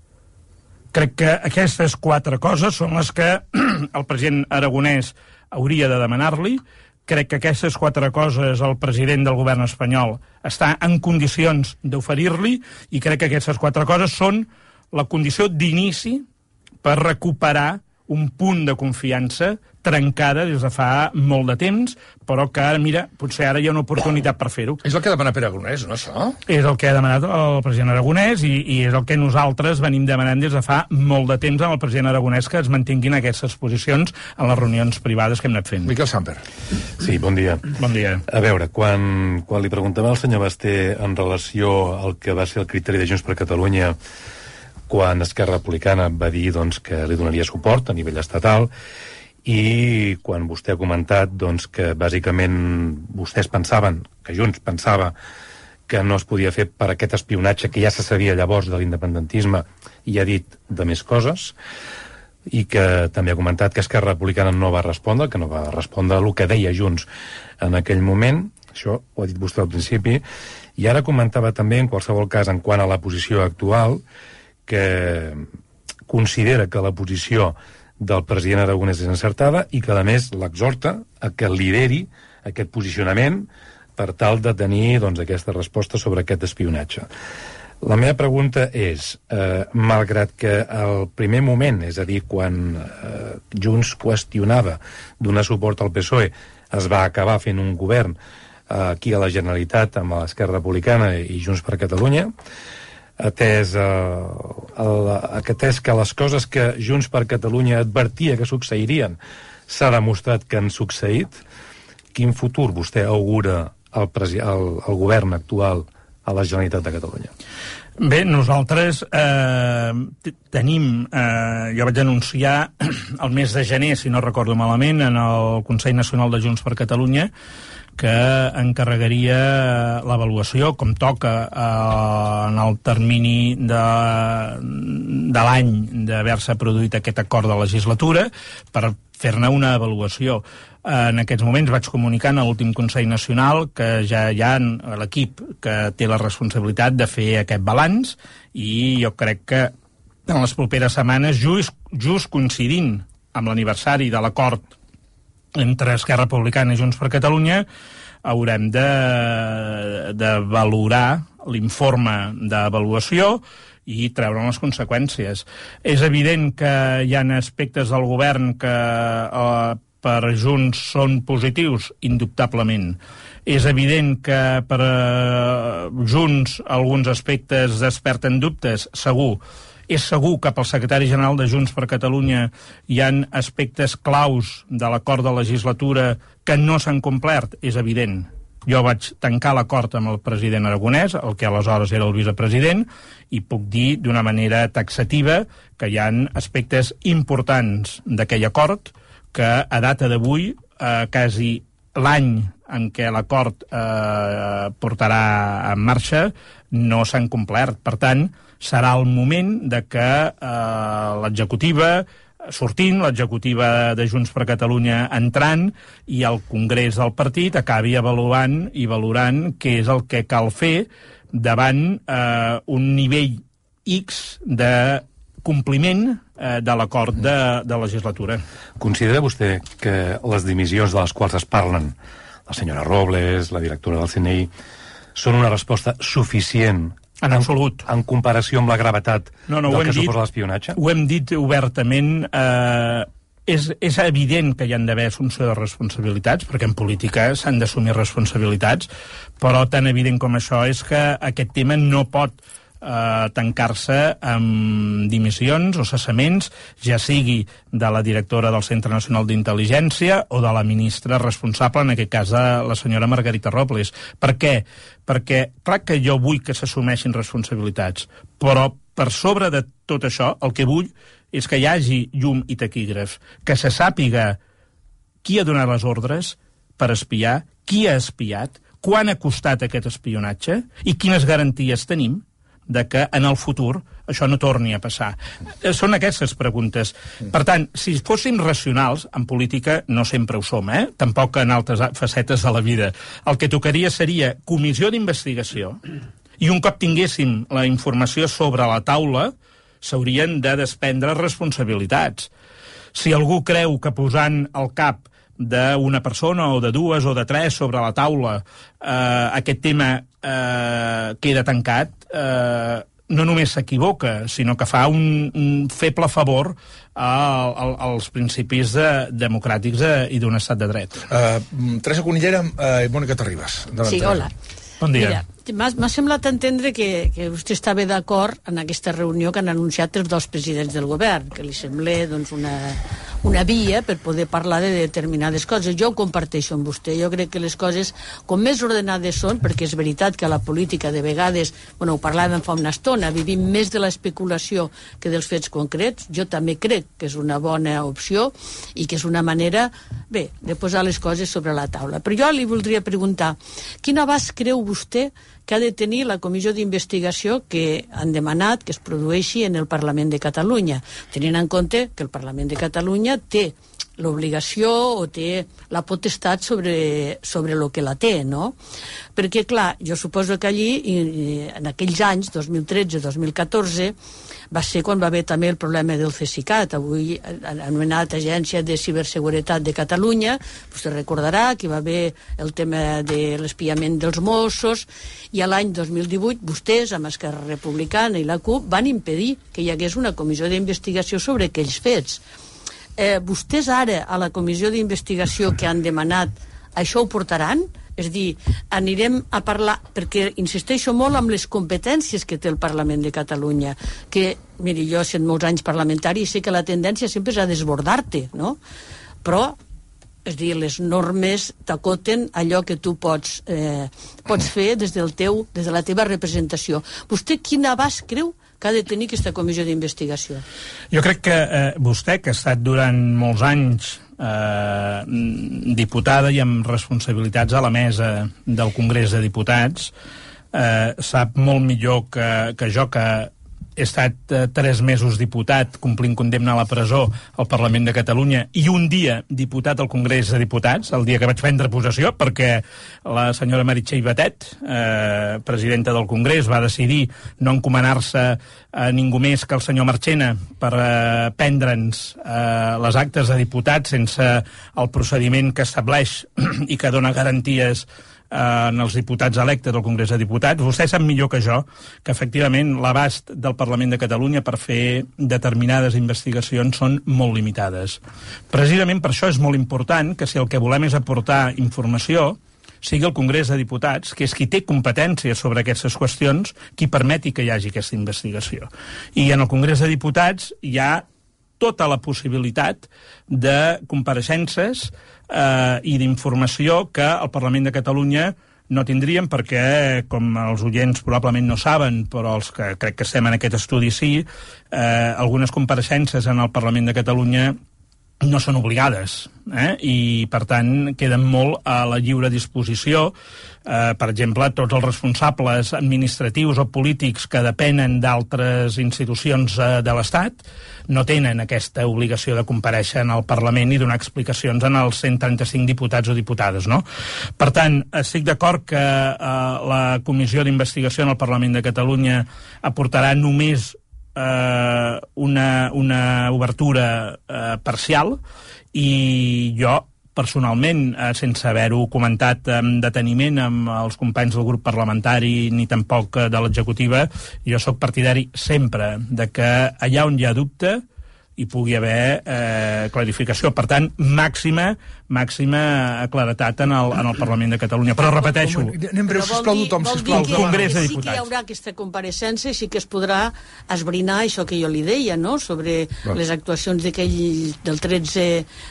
Crec que aquestes quatre coses són les que el president aragonès hauria de demanar-li. Crec que aquestes quatre coses el president del govern espanyol està en condicions d'oferir-li, i crec que aquestes quatre coses són la condició d'inici per recuperar un punt de confiança trencada des de fa molt de temps, però que ara, mira, potser ara hi ha una oportunitat per fer-ho. És el que ha demanat Pere Aragonès, no, això? És el que ha demanat el president Aragonès i, i és el que nosaltres venim demanant des de fa molt de temps amb el president Aragonès, que es mantinguin aquestes posicions en les reunions privades que hem anat fent. Miquel Samper. Sí, bon dia. Bon dia. A veure, quan, quan li preguntava al senyor Basté en relació al que va ser el criteri de Junts per Catalunya quan Esquerra Republicana va dir doncs, que li donaria suport a nivell estatal, i quan vostè ha comentat doncs, que bàsicament vostès pensaven, que Junts pensava que no es podia fer per aquest espionatge que ja se sabia llavors de l'independentisme, i ha dit de més coses, i que també ha comentat que Esquerra Republicana no va respondre, que no va respondre el que deia Junts en aquell moment. Això ho ha dit vostè al principi, i ara comentava també, en qualsevol cas, en quant a la posició actual, que considera que la posició del president Aragonès és encertada i que, a més, l'exhorta a que lideri aquest posicionament per tal de tenir doncs, aquesta resposta sobre aquest espionatge. La meva pregunta és, eh, malgrat que al primer moment, és a dir, quan eh, Junts qüestionava donar suport al P S O E, es va acabar fent un govern eh, aquí a la Generalitat amb l'Esquerra Republicana i Junts per Catalunya, atès, eh, el, atès que les coses que Junts per Catalunya advertia que succeirien s'ha demostrat que han succeït, quin futur vostè augura al, al, al govern actual a la Generalitat de Catalunya? Bé, nosaltres eh, tenim, eh, jo vaig anunciar el mes de gener, si no recordo malament, en el Consell Nacional de Junts per Catalunya, que encarregaria l'avaluació, com toca eh, en el termini de, de l'any d'haver-se produït aquest acord de legislatura, per fer-ne una avaluació. En aquests moments vaig comunicar en l'últim Consell Nacional que ja hi ha l'equip que té la responsabilitat de fer aquest balanç i jo crec que en les properes setmanes, just, just coincidint amb l'aniversari de l'acord entre Esquerra Republicana i Junts per Catalunya, haurem de, de valorar l'informe d'avaluació i treure les conseqüències. És evident que hi ha aspectes del govern que eh, per Junts són positius, indubtablement. És evident que per eh, Junts alguns aspectes desperten dubtes, segur. És segur que pel secretari general de Junts per Catalunya hi ha aspectes claus de l'acord de legislatura que no s'han complert, és evident. Jo vaig tancar l'acord amb el president Aragonès, el que aleshores era el vicepresident, i puc dir d'una manera taxativa que hi ha aspectes importants d'aquell acord que a data d'avui, eh, quasi l'any en què l'acord eh, portarà en marxa, no s'han complert. Per tant, serà el moment de que eh, l'executiva, sortint, l'executiva de Junts per Catalunya entrant, i el Congrés del partit acabi avaluant i valorant què és el que cal fer davant eh, un nivell X de compliment eh, de l'acord de, de legislatura. Considera vostè que les dimissions de les quals es parlen, la senyora Robles, la directora del C N I, són una resposta suficient en absolut, en comparació amb la gravetat no, no, del que dit, suposa l'espionatge? Ho hem dit obertament. Eh, és, és evident que hi han d'haver assumpció de responsabilitats, perquè en política s'han d'assumir responsabilitats, però tan evident com això és que aquest tema no pot eh, tancar-se amb dimissions o cessaments, ja sigui de la directora del Centre Nacional d'Intel·ligència o de la ministra responsable, en aquest cas la senyora Margarita Robles. Per què? Perquè, clar que jo vull que s'assumeixin responsabilitats, però per sobre de tot això, el que vull és que hi hagi llum i taquígraf, que se sàpiga qui ha donat les ordres per espiar, qui ha espiat, quan ha costat aquest espionatge i quines garanties tenim de que en el futur això no torni a passar. Són aquestes preguntes. Per tant, si fóssim racionals, en política no sempre ho som, eh? Tampoc en altres facetes de la vida. El que tocaria seria comissió d'investigació i un cop tinguéssim la informació sobre la taula s'haurien de desprendre responsabilitats. Si algú creu que posant el cap d'una persona o de dues o de tres sobre la taula eh, aquest tema eh, queda tancat, eh, no només s'equivoca, sinó que fa un, un feble favor a, a, als principis de, democràtics de, i d'un estat de dret. Uh, Teresa Conillera uh, i Mònica Terribas. Sí, hola. Bon dia. Mira, m'ha semblat entendre que, que vostè estava d'acord en aquesta reunió que han anunciat els dos presidents del govern, que li sembla doncs, una, una via per poder parlar de determinades coses. Jo ho comparteixo amb vostè. Jo crec que les coses, com més ordenades són, perquè és veritat que a la política de vegades, bueno, ho parlàvem fa una estona, vivim més de l'especulació que dels fets concrets. Jo també crec que és una bona opció i que és una manera, bé, de posar les coses sobre la taula. Però jo li voldria preguntar, quin abast creu vostè que ha de tenir la comissió d'investigació que han demanat que es produeixi en el Parlament de Catalunya, tenint en compte que el Parlament de Catalunya té l'obligació o té la potestat sobre, sobre el que la té, no? Perquè, clar, jo suposo que allí, en aquells anys, dos mil tretze dos mil catorze, va ser quan va haver també el problema del CESICAT, avui anomenat Agència de Ciberseguretat de Catalunya. Vostè recordarà que va haver el tema de l'espiament dels Mossos, i a l'any dos mil divuit vostès, amb Esquerra Republicana i la CUP, van impedir que hi hagués una comissió d'investigació sobre aquells fets. Eh, vostès ara, a la comissió d'investigació que han demanat, això ho portaran? És dir, anirem a parlar, perquè insisteixo molt amb les competències que té el Parlament de Catalunya, que, miri, jo sent molts anys parlamentari i sé que la tendència sempre és a desbordar-te, no? Però, és dir, les normes t'acoten allò que tu pots, eh, pots fer des del teu, des de la teva representació. Vostè quin abast creu que ha de tenir aquesta comissió d'investigació? Jo crec que eh, vostè, que ha estat durant molts anys eh, diputada i amb responsabilitats a la mesa del Congrés de Diputats, eh, sap molt millor que, que jo, que he estat eh, tres mesos diputat complint condemna a la presó al Parlament de Catalunya i un dia diputat al Congrés de Diputats, el dia que vaig prendre possessió, perquè la senyora Meritxell Batet, eh, presidenta del Congrés, va decidir no encomanar-se a ningú més que el senyor Marchena per eh, prendre'ns eh, les actes de diputat sense el procediment que estableix i que dona garanties en els diputats electes del Congrés de Diputats. Vostè sap millor que jo que efectivament l'abast del Parlament de Catalunya per fer determinades investigacions són molt limitades. Precisament per això és molt important que si el que volem és aportar informació sigui el Congrés de Diputats, que és qui té competència sobre aquestes qüestions, qui permeti que hi hagi aquesta investigació. I en el Congrés de Diputats hi ha tota la possibilitat de compareixences eh, i d'informació que el Parlament de Catalunya no tindríem, perquè, com els oients probablement no saben, però els que crec que estem en aquest estudi sí, eh, algunes compareixences en el Parlament de Catalunya no són obligades, eh? I per tant queden molt a la lliure disposició. Eh, per exemple, tots els responsables administratius o polítics que depenen d'altres institucions eh, de l'Estat no tenen aquesta obligació de comparèixer en el Parlament i donar explicacions en els cent trenta-cinc diputats o diputades, no? Per tant, estic d'acord que eh, la Comissió d'Investigació en el Parlament de Catalunya aportarà només Eh, una, una obertura eh, parcial, i jo personalment, eh, sense haver-ho comentat amb deteniment amb els companys del grup parlamentari ni tampoc eh, de l'executiva, jo sóc partidari sempre de que allà on hi ha dubte hi pugui haver eh, clarificació. Per tant, màxima màxima claretat en el, en el Parlament de Catalunya. Però repeteixo... Anem breu, sisplau, tothom, sisplau. El Congrés de Diputats. Sí que hi haurà aquesta compareixença i sí que es podrà esbrinar això que jo li deia, no?, sobre Va. les actuacions d'aquell del tretze,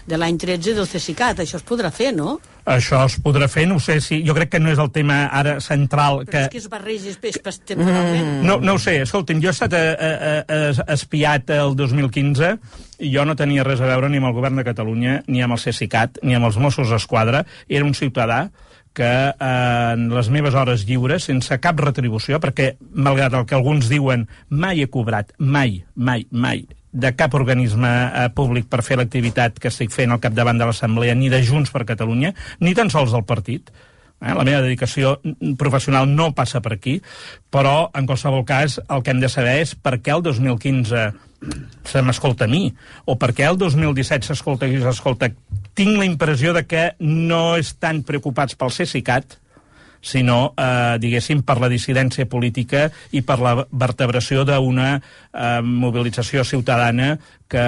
de l'any tretze del CESICAT. Això es podrà fer, no? Això es podrà fer, no ho sé si... Jo crec que no és el tema ara central... Però que... és que es barreja després temporalment. No, no ho sé, escolti'm, jo he estat a, a, a, espiat el dos mil quinze i jo no tenia res a veure ni amb el govern de Catalunya, ni amb el CESICAT, ni amb els Mossos d'Esquadra. Era un ciutadà que eh, en les meves hores lliures, sense cap retribució, perquè, malgrat el que alguns diuen, mai he cobrat, mai, mai, mai, de cap organisme eh, públic per fer l'activitat que estic fent al capdavant de l'Assemblea, ni de Junts per Catalunya, ni tan sols del partit. Eh? La meva dedicació professional no passa per aquí, però, en qualsevol cas, el que hem de saber és per què el dos mil quinze se m'escolta a mi, o per què el dos mil disset s'escolta i s'escolta. Tinc la impressió de que no estan preocupats pel CESICAT, sinó, eh, diguéssim, per la dissidència política i per la vertebració d'una eh, mobilització ciutadana que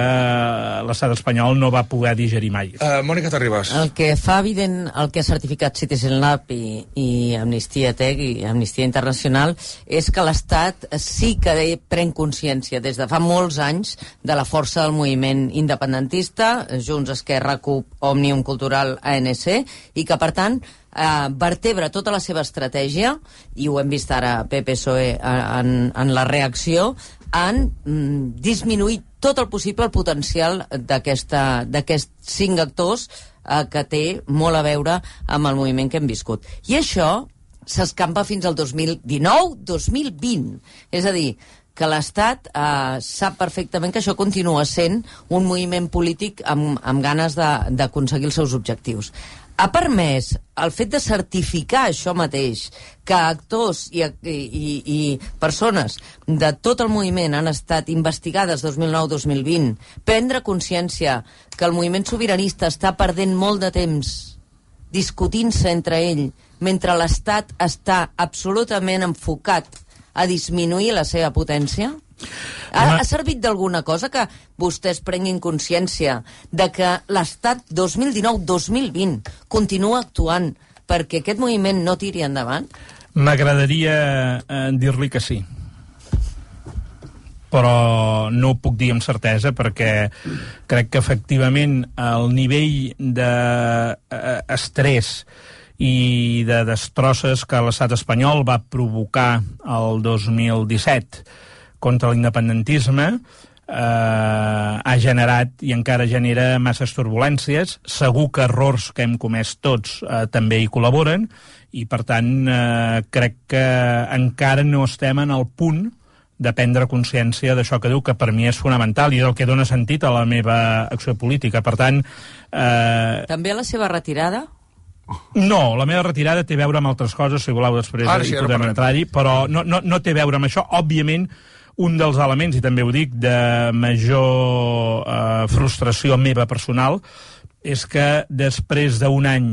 l'estat espanyol no va poder digerir mai. Uh, Mònica Terribas. El que fa evident, el que ha certificat Citizen Lab i, i Amnistia Tech i Amnistia Internacional és que l'Estat sí que pren consciència des de fa molts anys de la força del moviment independentista, Junts, Esquerra, CUP, Òmnium Cultural, A N C, i que, per tant, Uh, vertebra tota la seva estratègia, i ho hem vist ara P P S O E en, en la reacció, han mm, disminuït tot el possible el potencial d'aquests cinc actors uh, que té molt a veure amb el moviment que hem viscut. I això s'escampa fins al dos mil dinou dos mil vint. És a dir, que l'Estat eh, sap perfectament que això continua sent un moviment polític amb, amb ganes d'aconseguir els seus objectius. Ha permès el fet de certificar això mateix, que actors i, i, i persones de tot el moviment han estat investigades dos mil nou dos mil vint, prendre consciència que el moviment sobiranista està perdent molt de temps discutint-se entre ell, mentre l'Estat està absolutament enfocat a disminuir la seva potència? Ha, ha servit d'alguna cosa que vostès prenguin consciència de que l'Estat dos mil dinou dos mil vint continua actuant perquè aquest moviment no tiri endavant? M'agradaria eh, dir-li que sí, però no ho puc dir amb certesa perquè crec que efectivament el nivell d'estrès i de destrosses que l'estat espanyol va provocar el dos mil disset contra l'independentisme eh, ha generat i encara genera masses turbulències. Segur que errors que hem comès tots eh, també hi col·laboren i, per tant, eh, crec que encara no estem en el punt de prendre consciència d'això que diu, que per mi és fonamental i és el que dona sentit a la meva acció política. Per tant... Eh... També a la seva retirada? No, la meva retirada té a veure amb altres coses, si voleu després Ara sí, hi podem entrar-hi, però no, no, no té a veure amb això. Òbviament, un dels elements, i també ho dic, de major eh, frustració meva personal, és que després d'un any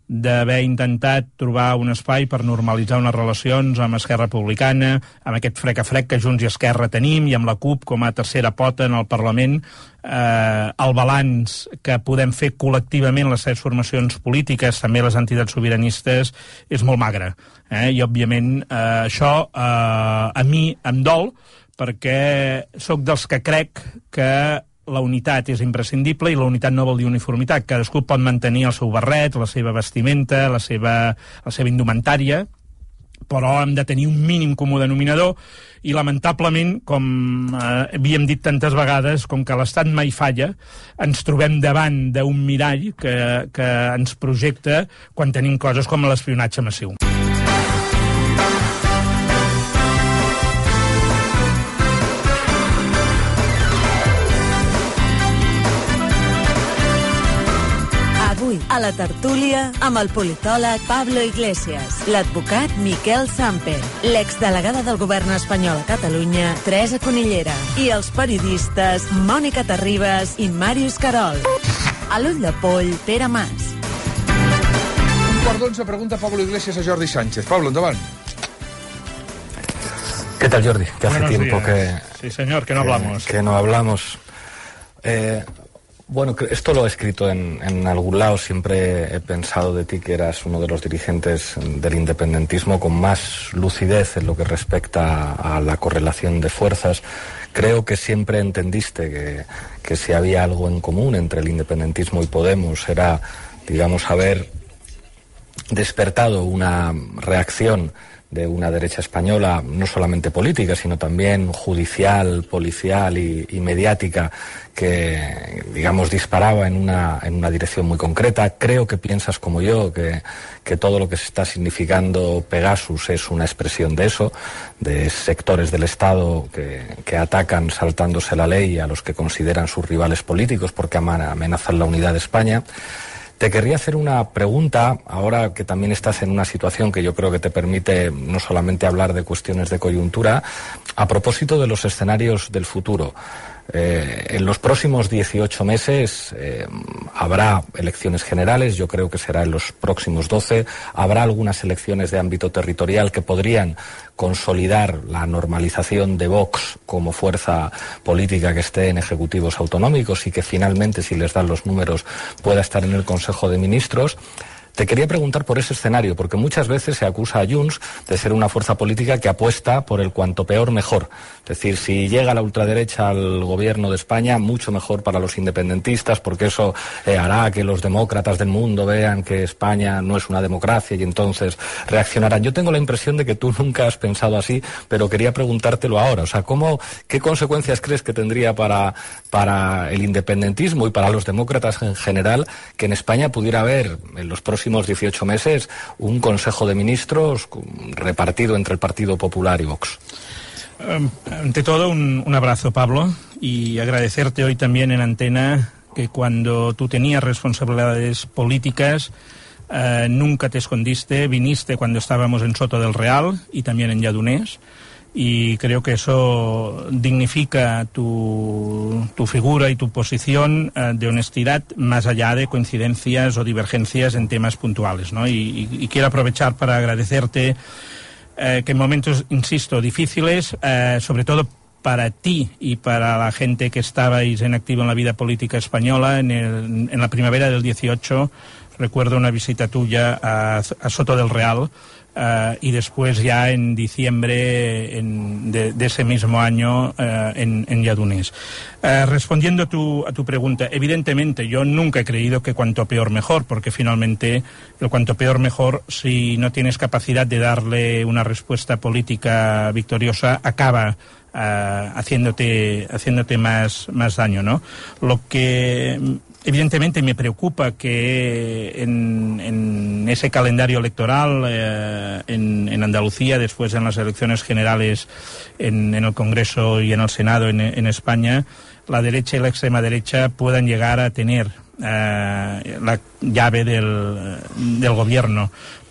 d'haver intentat trobar un espai per normalitzar unes relacions amb Esquerra Republicana, amb aquest frec a frec que Junts i Esquerra tenim, i amb la CUP com a tercera pota en el Parlament, eh, el balanç que podem fer col·lectivament les set formacions polítiques, també les entitats sobiranistes, és molt magre. Eh? I, òbviament, eh, això eh, a mi em dol, perquè sóc dels que crec que la unitat és imprescindible i la unitat no vol dir uniformitat. Cadascú pot mantenir el seu barret, la seva vestimenta, la seva, la seva indumentària, però hem de tenir un mínim comú denominador i, lamentablement, com eh, havíem dit tantes vegades, com que l'Estat mai falla, ens trobem davant d'un mirall que, que ens projecta quan tenim coses com l'espionatge massiu. A la tertúlia amb el politòleg Pablo Iglesias, l'advocat Miquel Samper, l'exdelegada del govern espanyol a Catalunya, Teresa Conillera, i els periodistes Mònica Terribas i Màrius Carol. A l'ull de poll, Pere Mas. Un quart d'onze pregunta Pablo Iglesias a Jordi Sánchez. Pablo, endavant. ¿Qué tal, Jordi? Que hace Buenos tiempo días. que... Sí, señor, que no que, hablamos. Que no hablamos. Eh... Bueno, esto lo he escrito en, en algún lado. Siempre he pensado de ti que eras uno de los dirigentes del independentismo con más lucidez en lo que respecta a la correlación de fuerzas. Creo que siempre entendiste que, que si había algo en común entre el independentismo y Podemos era, digamos, haber despertado una reacción de una derecha española, no solamente política, sino también judicial, policial y, y mediática, que, digamos, disparaba en una, en una dirección muy concreta. Creo que piensas como yo, que, que todo lo que se está significando Pegasus es una expresión de eso, de sectores del Estado que, que atacan saltándose la ley a los que consideran sus rivales políticos porque amenazan la unidad de España. Te querría hacer una pregunta, ahora que también estás en una situación que yo creo que te permite no solamente hablar de cuestiones de coyuntura, a propósito de los escenarios del futuro. Eh, en los próximos dieciocho meses eh, habrá elecciones generales, yo creo que será en los próximos doce, habrá algunas elecciones de ámbito territorial que podrían consolidar la normalización de Vox como fuerza política que esté en ejecutivos autonómicos y que finalmente, si les dan los números, pueda estar en el Consejo de Ministros. Te quería preguntar por ese escenario, porque muchas veces se acusa a Junts de ser una fuerza política que apuesta por el cuanto peor mejor. Es decir, si llega la ultraderecha al gobierno de España, mucho mejor para los independentistas, porque eso eh, hará que los demócratas del mundo vean que España no es una democracia y entonces reaccionarán. Yo tengo la impresión de que tú nunca has pensado así, pero quería preguntártelo ahora. O sea, ¿cómo, qué consecuencias crees que tendría para, para el independentismo y para los demócratas en general que en España pudiera haber en los próximos dieciocho meses un Consejo de Ministros repartido entre el Partido Popular y Vox? Ante todo, un, un abrazo, Pablo, y agradecerte hoy también en antena que cuando tú tenías responsabilidades políticas eh, nunca te escondiste, viniste cuando estábamos en Soto del Real y también en Lledoners, y creo que eso dignifica tu, tu figura y tu posición eh, de honestidad más allá de coincidencias o divergencias en temas puntuales, ¿no? Y, y, y quiero aprovechar para agradecerte eh, que en momentos, insisto, difíciles, eh, sobre todo para ti y para la gente que estabais en activo en la vida política española, en, el, en la primavera del dieciocho, recuerdo una visita tuya a, a Soto del Real, Uh, y después ya en diciembre en, de, de ese mismo año uh, en, en Lledoners. Uh, respondiendo a tu, a tu pregunta, evidentemente yo nunca he creído que cuanto peor mejor, porque finalmente el cuanto peor mejor, si no tienes capacidad de darle una respuesta política victoriosa, acaba uh, haciéndote, haciéndote más, más daño, ¿no? Lo que evidentemente me preocupa que en, en ese calendario electoral eh, en, en Andalucía, después en las elecciones generales en, en el Congreso y en el Senado en, en España, la derecha y la extrema derecha puedan llegar a tener eh, la llave del, del gobierno.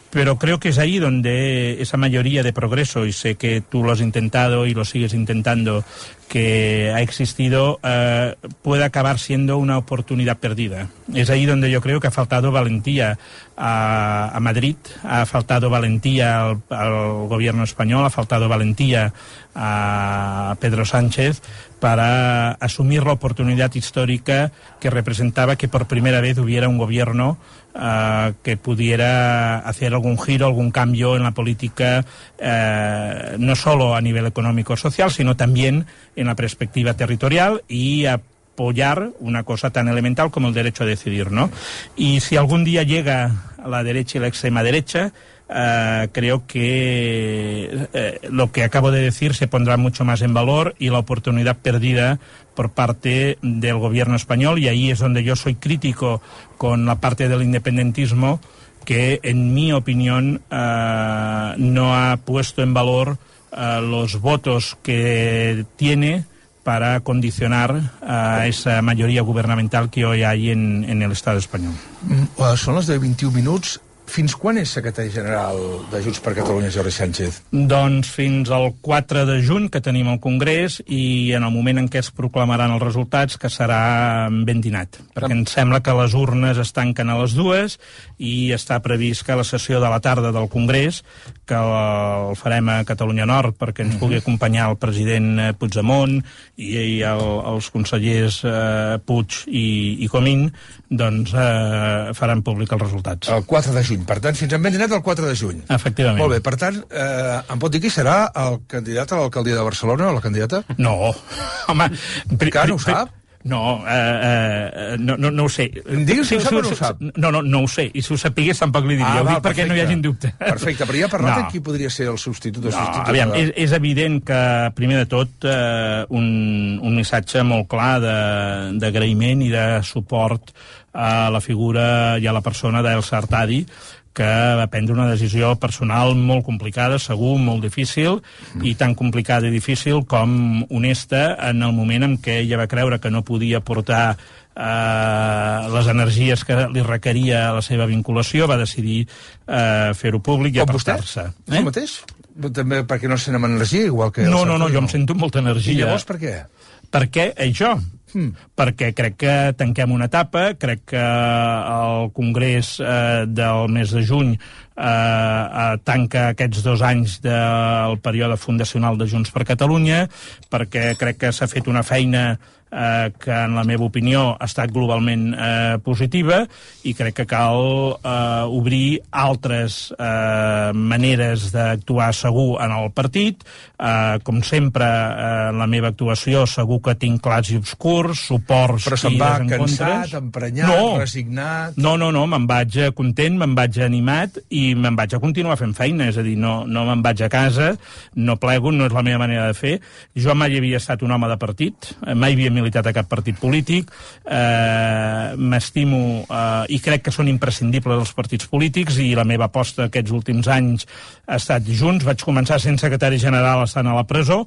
Pero creo que es ahí donde esa mayoría de progreso, y sé que tú lo has intentado y lo sigues intentando, que ha existido, eh, puede acabar siendo una oportunidad perdida. Es ahí donde yo creo que ha faltado valentía a, a Madrid, ha faltado valentía al, al gobierno español, ha faltado valentía a Pedro Sánchez para asumir la oportunidad histórica que representaba que por primera vez hubiera un gobierno uh, que pudiera hacer algún giro, algún cambio en la política, uh, no solo a nivel económico-social, sino también en la perspectiva territorial y apoyar una cosa tan elemental como el derecho a decidir, ¿no? Y si algún día llega a la derecha y la extrema derecha, Uh, creo que uh, lo que acabo de decir se pondrá mucho más en valor y la oportunidad perdida por parte del gobierno español, y ahí es donde yo soy crítico con la parte del independentismo que, en mi opinión, uh, no ha puesto en valor uh, los votos que tiene para condicionar a esa mayoría gubernamental que hoy hay en, en el Estado español. Mm, són les de vint-i-un minuts. Fins quan és secretari general de Junts per Catalunya, Jordi Sánchez? Doncs fins al quatre de juny, que tenim el Congrés, i en el moment en què es proclamaran els resultats, que serà ben dinat. Perquè em sembla que les urnes es tanquen a les dues i està previst que la sessió de la tarda del Congrés, que el farem a Catalunya Nord perquè ens pugui acompanyar el president Puigdemont i, i el, els consellers eh, Puig i, i Comín, doncs eh, faran públic els resultats. El quatre de juny, per tant, fins en ben dinat el quatre de juny. Efectivament. Molt bé, per tant, eh, em pot dir qui serà el candidat a l'alcaldia de Barcelona o la candidata? No, home... Encara no ho sap? No, eh, eh, no, no, no ho sé. Digues si ho sap o no ho sap. No, no, no ho sé. I si ho sapigués tampoc li diria. Ah, ho dic perquè no hi hagi dubte. Perfecte, però ja ha parlat no. de qui podria ser el substitut o no, substituta. Aviam, és, és evident que, primer de tot, eh, un, un missatge molt clar d'agraïment i de suport a la figura i a la persona d'Elsa Artadi, que va prendre una decisió personal molt complicada, segur, molt difícil, mm. i tan complicada i difícil com honesta en el moment en què ella va creure que no podia portar eh, les energies que li requeria la seva vinculació, va decidir eh, fer-ho públic i apartar-se. Eh? Tu mateix? També perquè no sent amb energia, igual que... No, no, no, jo em sento molta energia. I llavors per què? Per què? Això. Hmm. Perquè crec que tanquem una etapa, crec que el Congrés eh, del mes de juny eh, eh, tanca aquests dos anys del període fundacional de Junts per Catalunya, perquè crec que s'ha fet una feina eh, que, en la meva opinió, ha estat globalment eh, positiva, i crec que cal eh, obrir altres eh, maneres d'actuar segur en el partit. Eh, com sempre, eh, en la meva actuació segur que tinc clars i obscurs, suports però se'n i va desencontres. Cansat, emprenyat, no. resignat... No, no, no, me'n vaig content, me'n vaig animat i me'n vaig a continuar fent feina, és a dir, no, no me'n vaig a casa, no plego, no és la meva manera de fer. Jo mai havia estat un home de partit, mai havia militat a cap partit polític, eh, m'estimo eh, i crec que són imprescindibles els partits polítics, i la meva aposta aquests últims anys ha estat Junts. Vaig començar sent secretari general estant a la presó,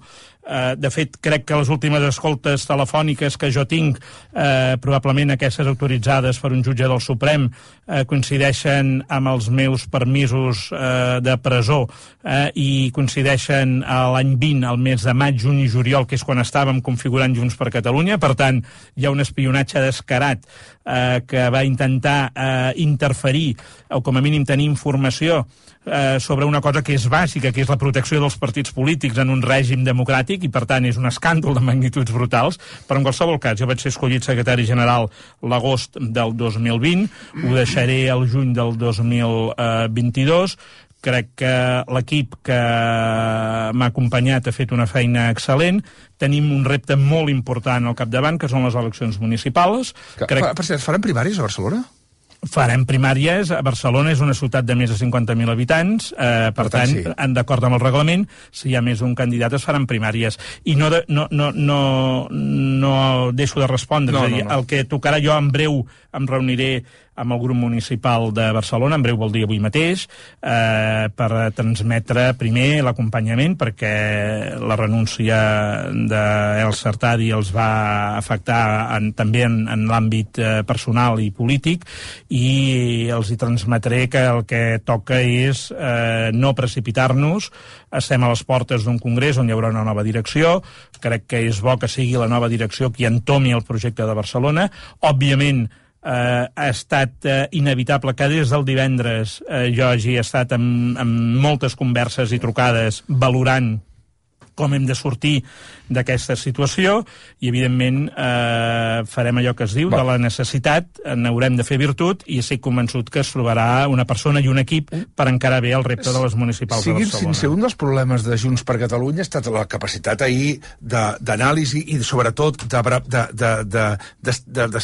Eh, de fet, crec que les últimes escoltes telefòniques que jo tinc, eh, probablement aquestes autoritzades per un jutge del Suprem, eh, coincideixen amb els meus permisos eh, de presó eh, i coincideixen a l'any vint, al mes de maig, juny i juliol, que és quan estàvem configurant Junts per Catalunya. Per tant, hi ha un espionatge descarat eh, que va intentar eh, interferir o com a mínim tenir informació eh, sobre una cosa que és bàsica, que és la protecció dels partits polítics en un règim democràtic, i per tant és un escàndol de magnituds brutals. Però en qualsevol cas, jo vaig ser escollit secretari general l'agost del dos mil vint, ho deixaré al juny del dos mil vint-i-dos. Crec que l'equip que m'ha acompanyat ha fet una feina excel·lent. Tenim un repte molt important al capdavant, que són les eleccions municipals. Que, Crec... Per cert, faran primàries a Barcelona? Farem primàries. Barcelona és una ciutat de més de cinquanta mil habitants, eh, per, per tant, sí. D'acord amb el reglament, si hi ha més d'un candidat es faran primàries. I no, de, no, no, no, no deixo de respondre. No, és a dir, no, no. El que tocarà, jo en breu em reuniré amb el grup municipal de Barcelona, en breu vol dir avui mateix, eh, per transmetre primer l'acompanyament, perquè la renúncia d'El Sartadi els va afectar en, també en, en l'àmbit eh, personal i polític, i els hi transmetré que el que toca és eh, no precipitar-nos. Estem a les portes d'un congrés on hi haurà una nova direcció. Crec que és bo que sigui la nova direcció qui entomi el projecte de Barcelona. Òbviament, Eh, ha estat eh, inevitable que des del divendres eh, jo hagi estat amb, amb moltes converses i trucades valorant com hem de sortir d'aquesta situació, i evidentment eh, farem allò que es diu, Va. de la necessitat, n'haurem de fer virtut, i estic convençut que es trobarà una persona i un equip per encarar bé el repte de les municipals de Barcelona. Siguin sense un dels problemes de Junts per Catalunya ha estat la capacitat ahir d'anàlisi i sobretot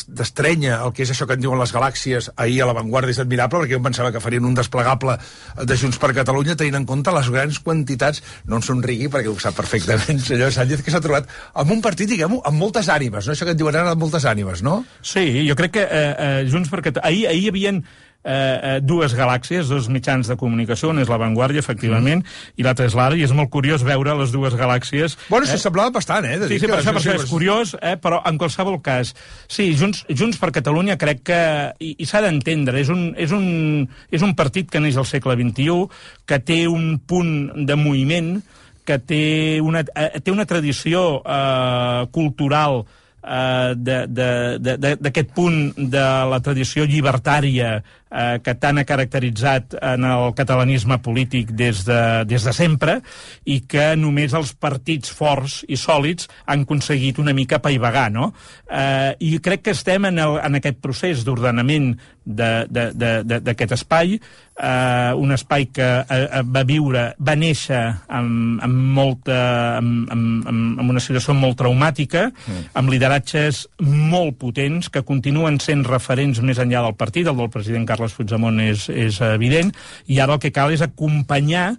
d'estrènyer el que és això que en diuen les galàxies. Ahir a l'avantguarda és admirable, perquè jo pensava que farien un desplegable de Junts per Catalunya tenint en compte les grans quantitats. No em somrigui, perquè ho sap perfectament, senyor Sánchez, que s'ha trobat amb un partit, diguem-ho, amb moltes ànimes, no? Això que et diuen ara, amb moltes ànimes, no? Sí, jo crec que eh, eh, Junts per Catalunya... Ahir, ahir hi havia eh, dues galàxies, dos mitjans de comunicació, un és La Vanguardia, efectivament, mm. i l'altre és l'Ara, i és molt curiós veure les dues galàxies. Bueno, eh? s'assemblava bastant, eh? De sí, sí, per això, per això és curiós, eh? Però en qualsevol cas, sí, Junts, Junts per Catalunya crec que, i, i s'ha d'entendre, és, un, és, un, és un partit que neix al segle vint-i-u, que té un punt de moviment, que té una, eh, té una tradició eh, cultural eh, d'aquest punt de la tradició llibertària eh, que tant ha caracteritzat en el catalanisme polític des de, des de sempre, i que només els partits forts i sòlids han aconseguit una mica paivagar, no? Eh, I crec que estem en, el, en aquest procés d'ordenament d'aquest espai, eh, un espai que eh, va viure, va néixer amb, amb, molta, amb, amb, amb una situació molt traumàtica, mm. amb lideratges molt potents que continuen sent referents més enllà del partit. El del president Carles Puigdemont és, és evident, i ara el que cal és acompanyar,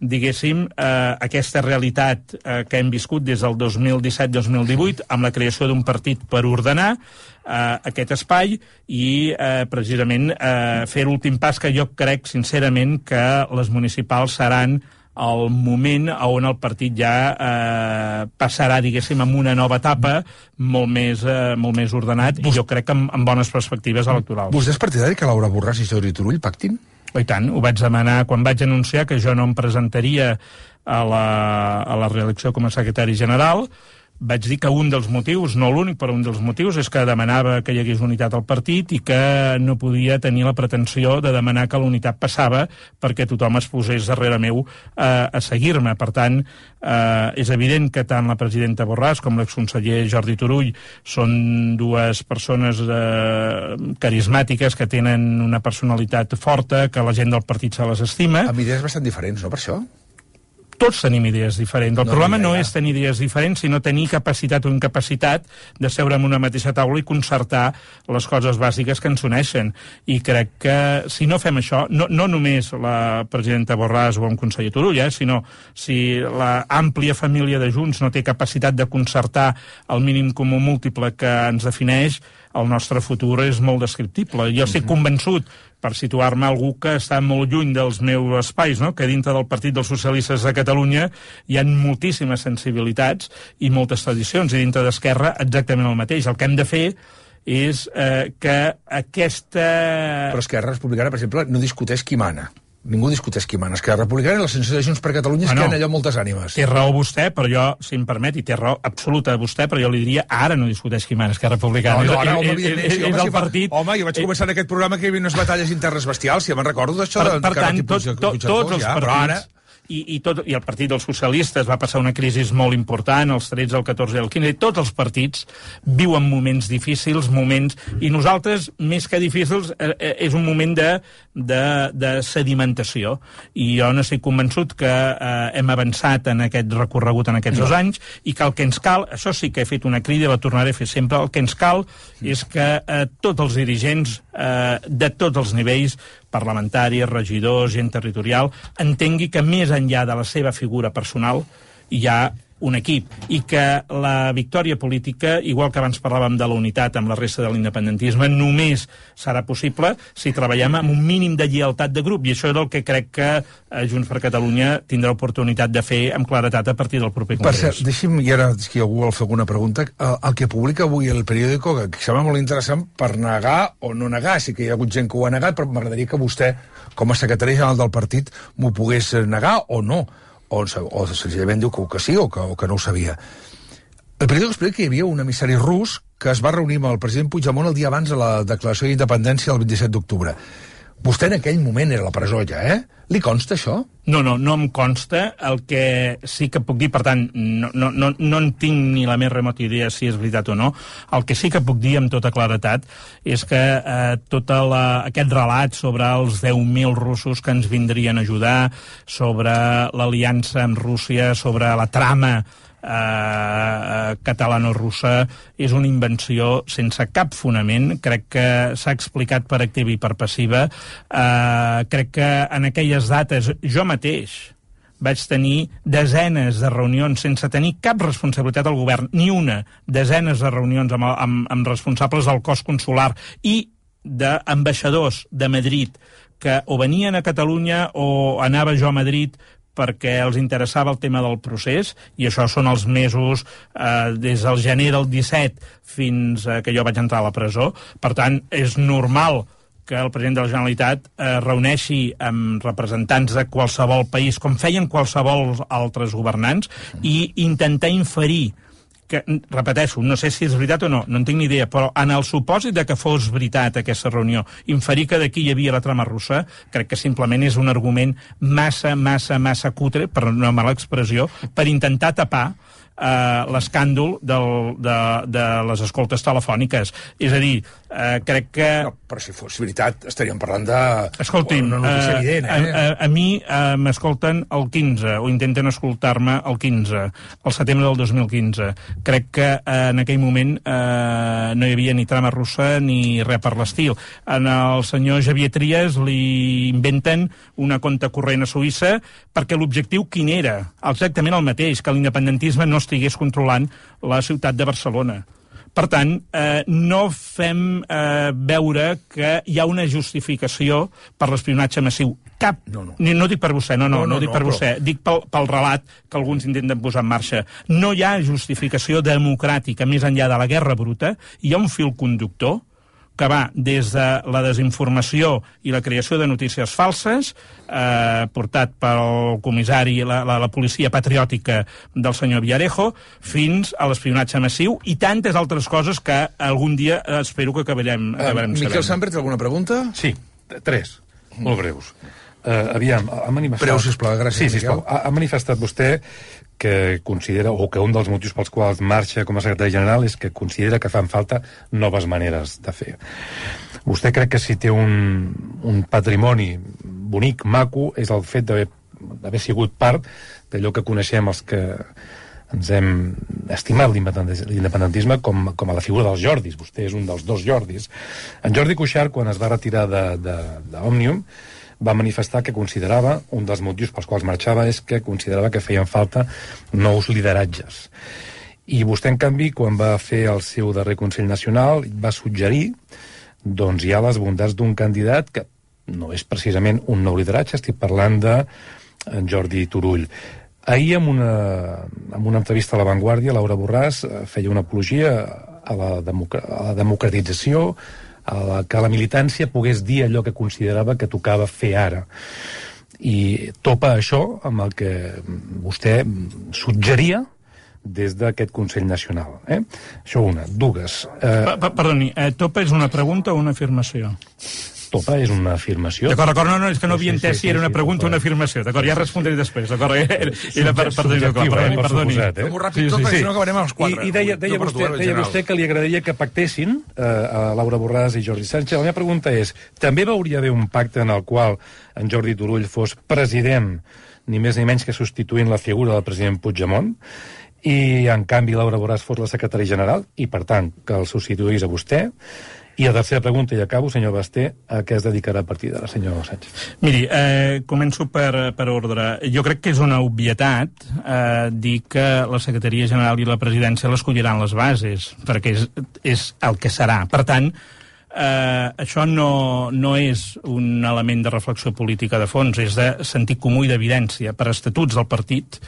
diguéssim, eh, aquesta realitat eh, que hem viscut des del dos mil disset dos mil divuit, amb la creació d'un partit per ordenar eh, aquest espai i eh, precisament eh, fer l'últim pas, que jo crec sincerament que les municipals seran el moment on el partit ja eh, passarà, diguéssim, en una nova etapa molt més, eh, molt més ordenat, i jo crec que amb, amb bones perspectives electorals. Vostè és partidari que Laura Borràs i Jordi Turull pactin? I tant, ho vaig demanar quan vaig anunciar que jo no em presentaria a la, a la reelecció com a secretari general. Vaig dir que un dels motius, no l'únic, però un dels motius, és que demanava que hi hagués unitat al partit i que no podia tenir la pretensió de demanar que la unitat passava perquè tothom es posés darrere meu eh, a seguir-me. Per tant, eh, és evident que tant la presidenta Borràs com l'exconseller Jordi Turull són dues persones eh, carismàtiques que tenen una personalitat forta, que la gent del partit se les estima. Amb idees bastant diferents, no, per això? Tots tenim idees diferents. El no, problema no és tenir idees diferents, sinó tenir capacitat o incapacitat de seure en una mateixa taula i concertar les coses bàsiques que ens uneixen. I crec que si no fem això, no, no només la presidenta Borràs o un conseller Turull, eh, sinó si la àmplia família de Junts no té capacitat de concertar el mínim comú múltiple que ens defineix, el nostre futur és molt descriptible. Jo estic convençut, per situar-me algú que està molt lluny dels meus espais, no? Que dintre del Partit dels Socialistes de Catalunya hi ha moltíssimes sensibilitats i moltes tradicions, i dintre d'Esquerra exactament el mateix. El que hem de fer és eh, que aquesta... Però Esquerra Republicana, per exemple, no discuteix qui mana. Ningú discuteix qui mana. Esquerra Republicana i la sensació de Junts per Catalunya és bueno, que hi ha allò moltes ànimes. Té raó vostè, però jo, si em permet, i té raó absoluta vostè, però jo li diria, ara no discuteix qui mana Esquerra Republicana. No, no, ara, home, evidentment, sí, home, si partit... home, jo vaig començar en aquest programa que hi havia unes batalles internes bestials, si ja me'n recordo d'això. Per, per tant, tot, tot, tots els partits... Ara... I, i, tot, i el Partit dels Socialistes va passar una crisi molt important, els tretze, el catorze i el quinze, i tots els partits viuen moments difícils, moments... I nosaltres, més que difícils, eh, és un moment de, de, de sedimentació. I jo no estic convençut que eh, hem avançat en aquest recorregut en aquests no. dos anys, i que el que ens cal, això sí que he fet una crida, la tornaré a fer sempre, el que ens cal és que eh, tots els dirigents eh, de tots els nivells, parlamentaris, regidors, gent territorial, entengui que més enllà de la seva figura personal hi ha un equip, i que la victòria política, igual que abans parlàvem de la unitat amb la resta de l'independentisme, només serà possible si treballem amb un mínim de lleialtat de grup, i això és el que crec que Junts per Catalunya tindrà oportunitat de fer amb claretat a partir del proper congrés. Per cert, deixi'm, i ara si algú vol fer alguna pregunta, el, el que publica avui el periòdico, que sembla molt interessant per negar o no negar, sí que hi ha hagut gent que ho ha negat, però m'agradaria que vostè, com a secretari general del partit, m'ho pogués negar o no, o, o senzillament diu que, que sí o que, o que no ho sabia. El periòdico explica que hi havia un emissari rus que es va reunir amb el president Puigdemont el dia abans de la declaració d'independència del vint-i-set d'octubre. Vostè en aquell moment era a la presó ja, eh? Li consta això? No, no, no em consta. El que sí que puc dir, per tant, no, no, no, no en tinc ni la més remota idea si és veritat o no. El que sí que puc dir amb tota claretat és que eh, tot la, aquest relat sobre els deu mil russos que ens vindrien a ajudar, sobre l'aliança amb Rússia, sobre la trama Uh, catalano-russa, és una invenció sense cap fonament. Crec que s'ha explicat per activa i per passiva. Uh, crec que en aquelles dates jo mateix vaig tenir desenes de reunions sense tenir cap responsabilitat al govern, ni una, desenes de reunions amb, amb, amb responsables del cos consular i d'ambaixadors de Madrid que o venien a Catalunya o anava jo a Madrid perquè els interessava el tema del procés, i això són els mesos eh, des del gener del disset fins eh, que jo vaig entrar a la presó. Per tant, és normal que el president de la Generalitat eh, reuneixi amb representants de qualsevol país, com feien qualsevol altres governants, i intentar inferir que, repeteixo, no sé si és veritat o no, no en tinc ni idea, però en el supòsit de que fos veritat aquesta reunió, inferir que d'aquí hi havia la trama russa, crec que simplement és un argument massa, massa, massa cutre, per una mala expressió, per intentar tapar Uh, l'escàndol del, de, de les escoltes telefòniques. És a dir, uh, crec que... No, però si fos veritat estaríem parlant de... Escolti'm, una notícia uh, evident, eh? A, a, a mi uh, m'escolten el quinze, o intenten escoltar-me el quinze, el setembre del dos mil quinze. Crec que uh, en aquell moment uh, no hi havia ni trama russa ni res per l'estil. En el senyor Xavier Trias li inventen una compte corrent a Suïssa perquè l'objectiu quin era? Exactament el mateix, que l'independentisme no estigués controlant la ciutat de Barcelona. Per tant, eh, no fem eh, veure que hi ha una justificació per l'espionatge massiu. Cap. No, no. Ni, no dic per vostè, no, no, no, no, no dic per no, vostè. Però... Dic pel, pel relat que alguns intenten posar en marxa. No hi ha justificació democràtica més enllà de la guerra bruta. Hi ha un fil conductor que va des de la desinformació i la creació de notícies falses, eh, portat pel comissari i la, la, la policia patriòtica del senyor Villarejo, fins a l'espionatge massiu i tantes altres coses que algun dia espero que acabarem, acabarem uh, sabent. Miquel Sambert, alguna pregunta? Sí, tres, molt breus. Uh, aviam, ha manifestat... Breu, sisplau, gràcies, sí, sisplau. Ha, ha manifestat vostè que considera, o que un dels motius pels quals marxa com a secretari general és que considera que fan falta noves maneres de fer. Vostè crec que si té un, un patrimoni bonic, maco, és el fet d'haver sigut part d'allò que coneixem els que ens hem estimat l'independentisme com, com a la figura dels Jordis. Vostè és un dels dos Jordis. En Jordi Cuixart, quan es va retirar d'Òmnium, va manifestar que considerava, un dels motius pels quals marxava és que considerava que feien falta nous lideratges. I vostè, en canvi, quan va fer el seu darrer Consell Nacional, va suggerir doncs, ja les bondats d'un candidat que no és precisament un nou lideratge, estic parlant de en Jordi Turull. Ahir, en una, en una entrevista a La Vanguardia, Laura Borràs feia una apologia a la, democ a la democratització, a la, que la militància pogués dir allò que considerava que tocava fer ara. I topa això amb el que vostè suggeria des d'aquest Consell Nacional. Eh? Això una. Dues. Eh... Perdoni, eh, topa és una pregunta o una afirmació? Topa és una afirmació. D'acord, d'acord, no, no, és que no havia entès si era una pregunta o una afirmació. D'acord, ja respondré després, d'acord? Era per tenir-ho clar, perdoni, perdoni. Fem-ho ràpid tot, perquè si no acabarem als quatre. I deia vostè que li agradaria que pactessin a Laura Borràs i Jordi Sánchez. La meva pregunta és, també veuria haver un pacte en el qual en Jordi Turull fos president, ni més ni menys que substituint la figura del president Puigdemont, i en canvi Laura Borràs fos la secretària general i per tant que el substituís a vostè? I la tercera pregunta, i acabo, senyor Basté, a què es dedicarà a partir d'ara, senyor Sánchez? Miri, eh, començo per, per ordre. Jo crec que és una obvietat eh, dir que la secretaria general i la presidència l'escolliran les bases, perquè és, és el que serà. Per tant, eh, això no, no és un element de reflexió política de fons, és de sentit comú i d'evidència. Per estatuts del partit,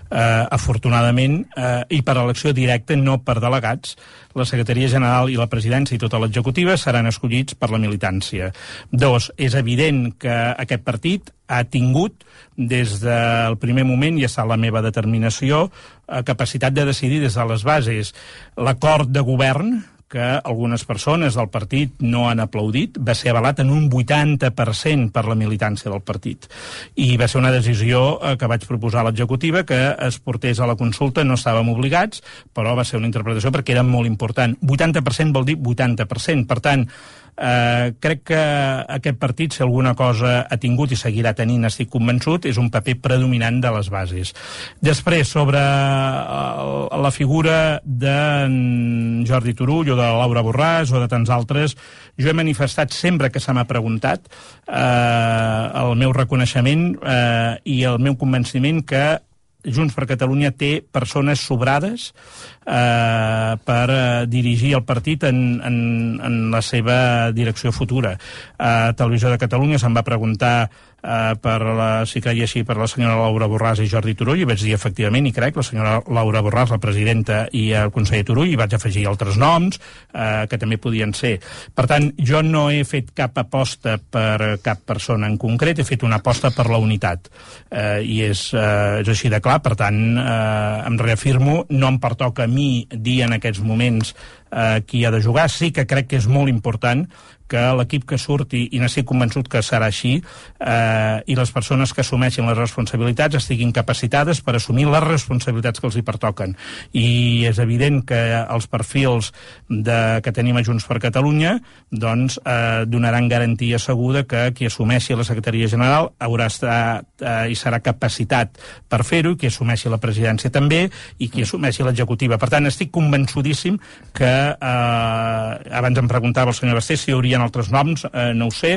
eh, afortunadament, eh, i per elecció directa, no per delegats, la secretaria general i la presidència i tota l'executiva seran escollits per la militància. Dos, és evident que aquest partit ha tingut, des del primer moment, i és la meva determinació, capacitat de decidir des de les bases. L'acord de govern, que algunes persones del partit no han aplaudit, va ser avalat en un vuitanta per cent per la militància del partit. I va ser una decisió que vaig proposar a l'executiva, que es portés a la consulta, no estàvem obligats, però va ser una interpretació perquè era molt important. vuitanta per cent vol dir vuitanta per cent. Per tant, eh, crec que aquest partit, si alguna cosa ha tingut i seguirà tenint, estic convençut, és un paper predominant de les bases. Després, sobre la figura de Jordi Turull o de Laura Borràs o de tants altres, jo he manifestat sempre que se m'ha preguntat eh, el meu reconeixement eh, i el meu convenciment que Junts per Catalunya té persones sobrades eh, per eh, dirigir el partit en, en, en la seva direcció futura. A Televisió de Catalunya se'm va preguntar eh, per la, si creia així per la senyora Laura Borràs i Jordi Turull, i vaig dir efectivament, i crec, la senyora Laura Borràs, la presidenta, i el conseller Turull, i vaig afegir altres noms eh, que també podien ser. Per tant, jo no he fet cap aposta per cap persona en concret, he fet una aposta per la unitat. Eh, I és, eh, és així de clar. Per tant, eh, em reafirmo, no em pertoca a mi dir en aquests moments eh, qui ha de jugar. Sí que crec que és molt important que l'equip que surti, i n'estic convençut que serà així, eh, i les persones que assumeixin les responsabilitats estiguin capacitades per assumir les responsabilitats que els hi pertoquen. I és evident que els perfils de, que tenim a Junts per Catalunya doncs, eh, donaran garantia segura que qui assumeixi la secretaria general haurà estat eh, i serà capacitat per fer-ho, qui assumeixi la presidència també, i qui assumeixi l'executiva. Per tant, estic convençudíssim que, eh, abans em preguntava el senyor Basté si hi haurien altres noms, eh, no ho sé.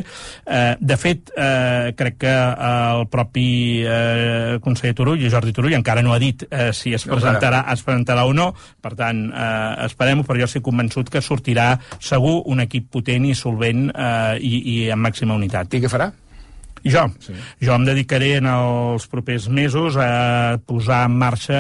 Eh, de fet, eh, crec que el propi eh, conseller Turull i Jordi Turull encara no ha dit eh, si es presentarà, es presentarà o no. Per tant, eh, esperem-ho, però jo estic convençut que sortirà segur un equip potent i solvent eh, i, i amb màxima unitat. I què farà? I jo? Sí. Jo em dedicaré en els propers mesos a posar en marxa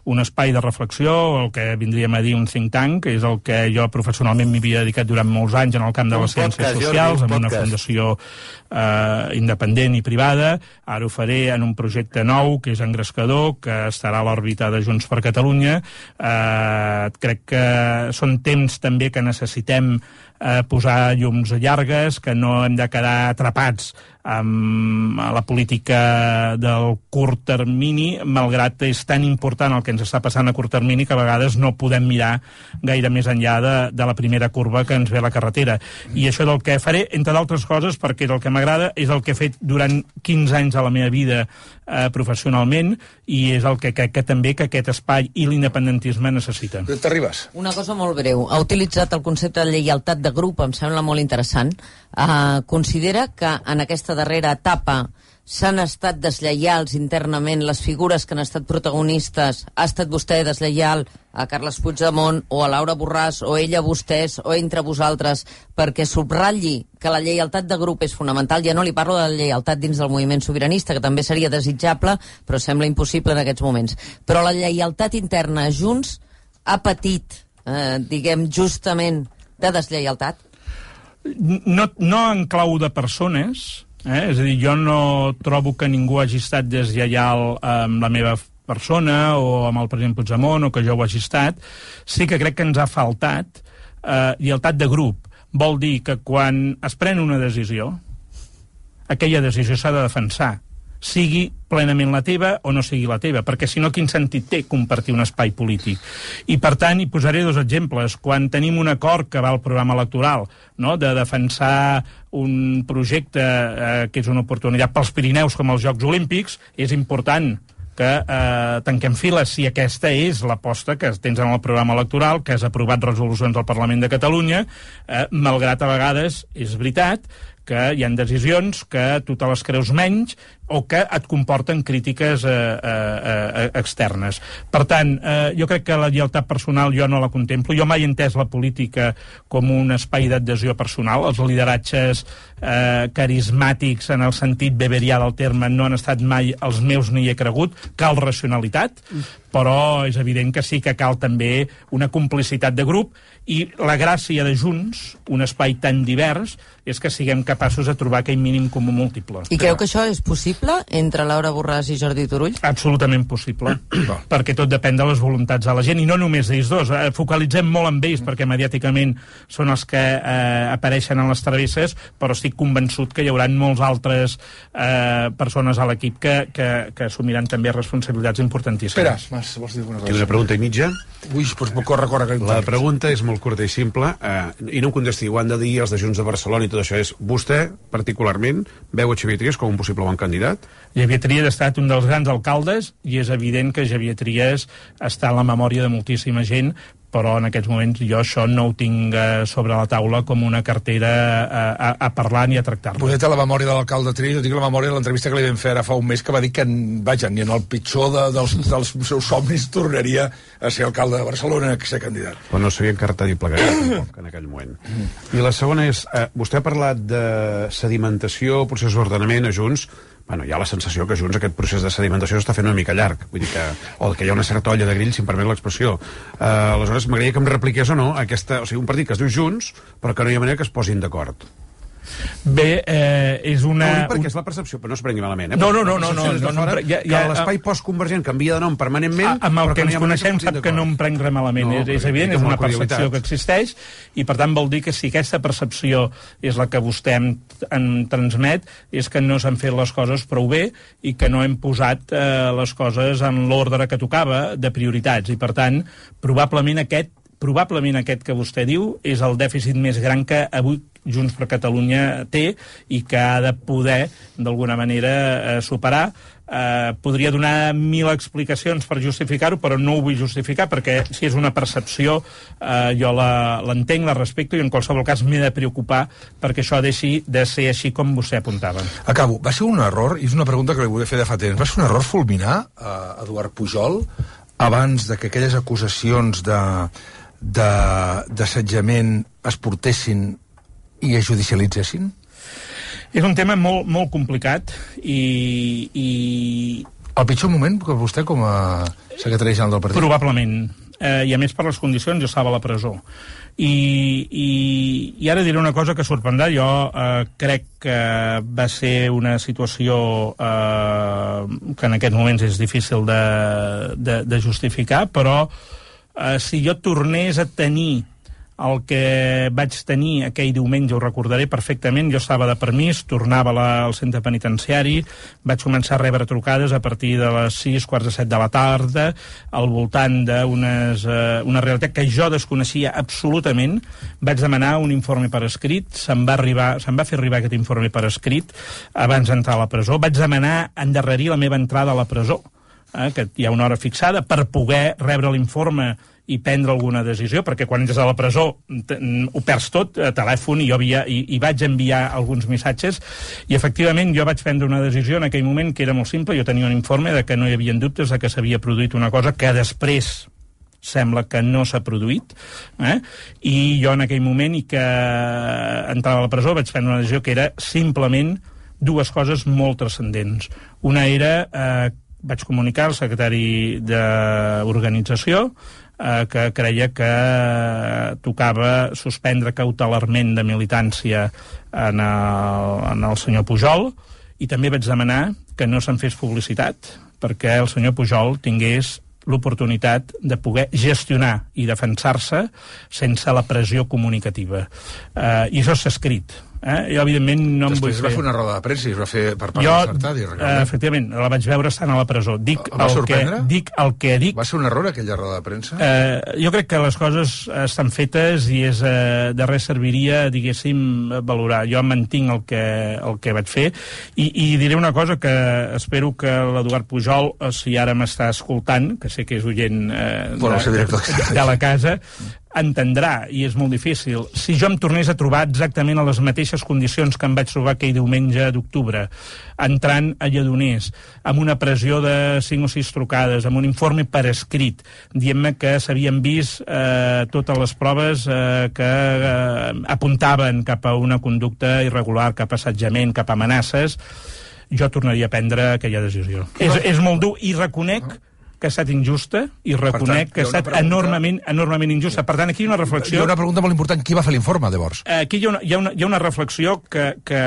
un espai de reflexió, el que vindríem a dir un think tank, que és el que jo professionalment m'hi havia dedicat durant molts anys en el camp de les ciències socials, amb una fundació eh, independent i privada. Ara ho faré en un projecte nou, que és Engrescador, que estarà a l'òrbita de Junts per Catalunya. Eh, crec que són temps també que necessitem eh, posar llums llargues, que no hem de quedar atrapats amb la política del curt termini, malgrat és tan important el que ens està passant a curt termini que a vegades no podem mirar gaire més enllà de, de la primera curva que ens ve a la carretera. I això és el que faré, entre d'altres coses, perquè és el que m'agrada, és el que he fet durant quinze anys de la meva vida eh, professionalment, i és el que crec que, que també que aquest espai i l'independentisme necessiten. T'arribes? Una cosa molt breu. Ha utilitzat el concepte de lleialtat de grup, em sembla molt interessant. Uh, considera que en aquesta darrera etapa s'han estat deslleials internament les figures que han estat protagonistes? Ha estat vostè deslleial a Carles Puigdemont o a Laura Borràs o ella a vostès o entre vosaltres perquè subratlli que la lleialtat de grup és fonamental? Ja no li parlo de la lleialtat dins del moviment sobiranista, que també seria desitjable, però sembla impossible en aquests moments. Però la lleialtat interna a Junts ha patit, eh, diguem, justament de deslleialtat? No, no en clau de persones, eh? És a dir, jo no trobo que ningú hagi estat deslleial amb la meva persona o amb el president Puigdemont o que jo ho hagi estat. Sí que crec que ens ha faltat eh, lleialtat de grup. Vol dir que quan es pren una decisió, aquella decisió s'ha de defensar, sigui plenament la teva o no sigui la teva, perquè si no, quin sentit té compartir un espai polític? I, per tant, hi posaré dos exemples. Quan tenim un acord que va al programa electoral, no?, de defensar un projecte eh, que és una oportunitat pels Pirineus com els Jocs Olímpics, és important que eh, tanquem files si aquesta és l'aposta que tens en el programa electoral, que has aprovat resolucions del Parlament de Catalunya, eh, malgrat a vegades, és veritat, que hi ha decisions que tu te les creus menys o que et comporten crítiques eh, eh, eh, externes. Per tant, eh, jo crec que la lleialtat personal jo no la contemplo. Jo mai he entès la política com un espai d'adhesió personal. Els lideratges eh, carismàtics en el sentit beberià del terme no han estat mai els meus ni hi he cregut. Cal racionalitat, però és evident que sí que cal també una complicitat de grup, i la gràcia de Junts, un espai tan divers, és que siguem capaços de trobar aquell mínim comú múltiple. I creu que això és possible entre Laura Borràs i Jordi Turull? Absolutament possible, perquè tot depèn de les voluntats de la gent, i no només d'ells dos. Eh, focalitzem molt en ells, perquè mediàticament són els que eh, apareixen en les travesses, però estic convençut que hi haurà molts altres eh, persones a l'equip que, que, que assumiran també responsabilitats importantíssimes. Espera, Mas, vols dir alguna cosa? Tinc una pregunta i mitja. Ui, doncs corre, corre, que La pregunta és molt curta i simple, eh, i no em contesti, ho han de dir els de Junts de Barcelona i tot això. És, vostè, particularment, veu a Xavier Trias com un possible bon candidat? Xavier Trias ha estat un dels grans alcaldes i és evident que Xavier Trias està en la memòria de moltíssima gent, però en aquests moments jo això no ho tinc eh, sobre la taula com una cartera a, a, a parlar ni a tractar-lo. Vostè té la memòria de l'alcalde Trias, jo tinc la memòria de l'entrevista que li vam fer ara fa un mes, que va dir que, vaja, ni en el pitjor de, dels, dels seus somnis tornaria a ser alcalde de Barcelona, a ser candidat. Però no sabia encartar i plegar tampoc en aquell moment. I la segona és, eh, vostè ha parlat de sedimentació, procés d'ordenament a Junts. Bueno, hi ha la sensació que Junts aquest procés de sedimentació s'està fent una mica llarg, vull dir que, o que hi ha una certa olla de grill, si em permet l'expressió. Uh, aleshores, m'agradaria que em repliqués o no aquesta, o sigui, un partit que es diu Junts, però que no hi ha manera que es posin d'acord. Bé, eh, és una... No, perquè és la percepció, però no es prengui malament, eh? No, no, no, no, no, no, no, fora, ja, ja, que l'espai postconvergent canvia de nom permanentment... A, amb el que, que ens no coneixem sap que no em prenc res malament, no, és, és evident, és una percepció que existeix, i per tant vol dir que si aquesta percepció és la que vostè em, em transmet, és que no s'han fet les coses prou bé i que no hem posat eh, les coses en l'ordre que tocava de prioritats, i per tant, probablement aquest probablement aquest que vostè diu és el dèficit més gran que avui Junts per Catalunya té i que ha de poder, d'alguna manera, eh, superar. Eh, podria donar mil explicacions per justificar-ho, però no ho vull justificar, perquè si és una percepció, eh, jo l'entenc, la, la respecto, i en qualsevol cas m'he de preocupar perquè això deixi de ser així com vostè apuntava. Acabo. Va ser un error, i és una pregunta que li volia fer de fa temps, va ser un error fulminar a Eduard Pujol abans de que aquelles acusacions de d'assetjament es portessin i es judicialitzessin? És un tema molt, molt complicat i, i... El pitjor moment que vostè com a secretari general del partit? Probablement. Eh, I a més per les condicions jo estava a la presó. I, i, i ara diré una cosa que sorprendrà. Jo eh, crec que va ser una situació eh, que en aquests moments és difícil de, de, de justificar, però Uh, si jo tornés a tenir el que vaig tenir aquell diumenge, ho recordaré perfectament, jo estava de permís, tornava la, al centre penitenciari, vaig començar a rebre trucades a partir de les sis, quarts de set de la tarda, al voltant d'una uh, realitat que jo desconeixia absolutament. Vaig demanar un informe per escrit, se'm va, arribar, se'm va fer arribar aquest informe per escrit abans d'entrar a la presó. Vaig demanar endarrerir la meva entrada a la presó, eh, que hi ha una hora fixada, per poder rebre l'informe i prendre alguna decisió, perquè quan entres a la presó ho perds tot, a telèfon, i jo havia, i, i vaig enviar alguns missatges, i efectivament jo vaig prendre una decisió en aquell moment que era molt simple. Jo tenia un informe de que no hi havia dubtes de que s'havia produït una cosa que després sembla que no s'ha produït, eh? I jo en aquell moment, i que entrava a la presó, vaig prendre una decisió que era simplement dues coses molt transcendents. Una era, eh, vaig comunicar al secretari d'organització eh, que creia que tocava suspendre cautelarment de militància en el, en el senyor Pujol, i també vaig demanar que no se'n fes publicitat perquè el senyor Pujol tingués l'oportunitat de poder gestionar i defensar-se sense la pressió comunicativa. Eh, I això s'ha escrit. Eh? Jo, evidentment, no em vull Després fer... va fer una roda de premsa i es va fer per part jo, de Sartadi. Eh, efectivament, la vaig veure estant a la presó. Dic el va el sorprendre? Que, dic el que dic... Va ser un error aquella roda de premsa? Eh, jo crec que les coses estan fetes i és, eh, de res serviria, diguéssim, valorar. Jo mantinc el que, el que vaig fer i, i diré una cosa que espero que l'Eduard Pujol, si ara m'està escoltant, que sé que és oient eh, bueno, de, de, de la casa, entendrà, i és molt difícil. Si jo em tornés a trobar exactament a les mateixes condicions que em vaig trobar aquell diumenge d'octubre, entrant a Lledoners, amb una pressió de cinc o sis trucades, amb un informe per escrit, dient-me que s'havien vist eh, totes les proves eh, que eh, apuntaven cap a una conducta irregular, cap a assetjament, cap a amenaces, jo tornaria a prendre aquella decisió. És, és molt dur, i reconec que ha estat injusta, i reconec tant, que ha estat pregunta... enormement, enormement injusta. Per tant, aquí hi ha una reflexió... Hi ha una pregunta molt important. Qui va fer l'informe, llavors? Aquí hi ha una, hi ha una, hi ha una reflexió que, que...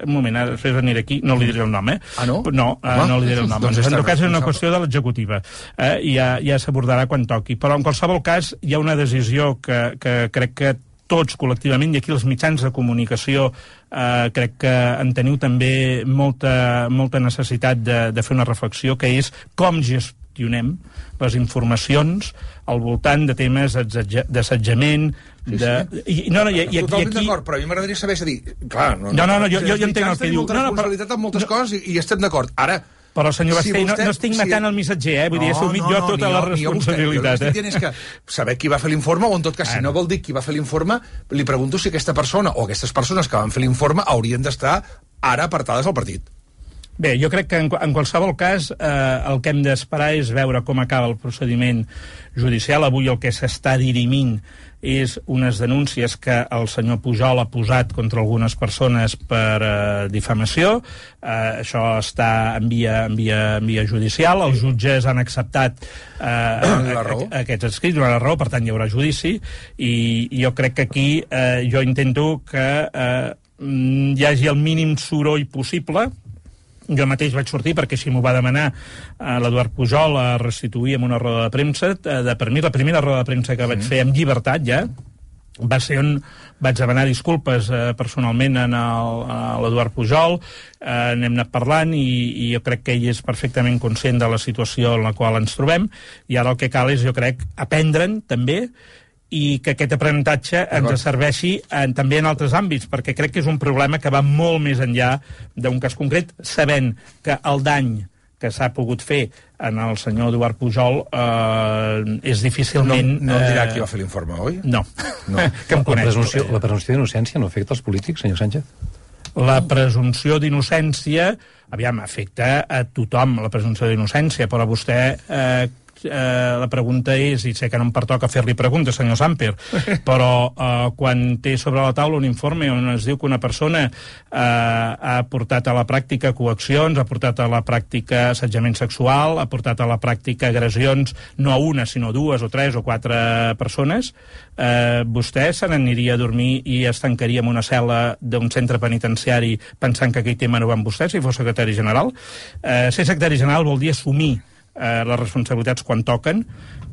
Un moment, ara després aniré aquí, no li diré el nom, eh? Ah, no? No, uh, no li diré el nom. Doncs en tot cas, és una qüestió de l'executiva. Eh? I ja, ja s'abordarà quan toqui. Però, en qualsevol cas, hi ha una decisió que, que crec que tots col·lectivament, i aquí els mitjans de comunicació eh, crec que en teniu també molta, molta necessitat de, de fer una reflexió, que és com gestionem les informacions al voltant de temes d'assetjament, Sí, de... sí. I, no, no, i, i, Totalment i aquí... d'acord, però a mi m'agradaria saber, és a dir, clar... No, no, no, jo, jo, jo entenc el que diu. Molta No, no, responsabilitat en moltes no, coses i, i estem d'acord. Ara, però, senyor Basté, si vostè, no, no estic matant si... el missatger, eh? Vull no, dir, he assumit no, no, jo tota la responsabilitat. Jo, jo, eh? És que saber qui va fer l'informe, o en tot cas, si no vol dir qui va fer l'informe, li pregunto si aquesta persona o aquestes persones que van fer l'informe haurien d'estar ara apartades al partit. Bé, jo crec que en, en qualsevol cas eh, el que hem d'esperar és veure com acaba el procediment judicial. Avui el que s'està dirimint és unes denúncies que el senyor Pujol ha posat contra algunes persones per eh, difamació. Eh, això està en via, en, via, en via judicial. Els jutges han acceptat eh, a, a, aquests escrits, donar la raó, per tant hi haurà judici, i, i jo crec que aquí eh, jo intento que eh, hi hagi el mínim soroll possible. Jo mateix vaig sortir, perquè si m'ho va demanar eh, l'Eduard Pujol, a restituir en una roda de premsa. Eh, de, per mi, la primera roda de premsa que sí. vaig fer amb llibertat, ja, va ser on vaig demanar disculpes eh, personalment a l'Eduard Pujol, eh, n'hem anat parlant, i, i jo crec que ell és perfectament conscient de la situació en la qual ens trobem, i ara el que cal és, jo crec, aprendre'n, també, i que aquest aprenentatge ens serveixi en, també en altres àmbits, perquè crec que és un problema que va molt més enllà d'un cas concret, sabent que el dany que s'ha pogut fer en el senyor Eduard Pujol eh, és difícilment... No, no em dirà qui va fer l'informe, oi? No, no. Que em coneix. La presumpció, la presumpció d'innocència no afecta els polítics, senyor Sánchez? La presumpció d'innocència, aviam, afecta a tothom, la presumpció d'innocència, però vostè... Eh, Eh, la pregunta és, i sé que no em pertoca fer-li preguntes, senyor Samper, però eh, quan té sobre la taula un informe on es diu que una persona eh, ha portat a la pràctica coaccions, ha portat a la pràctica assetjament sexual, ha portat a la pràctica agressions, no a una, sinó dues o tres o quatre persones, eh, vostè se n'aniria a dormir i es tancaria en una cel·la d'un centre penitenciari pensant que aquell tema no va amb vostè, si fos secretari general? Eh, ser secretari general vol dir assumir Eh, les responsabilitats quan toquen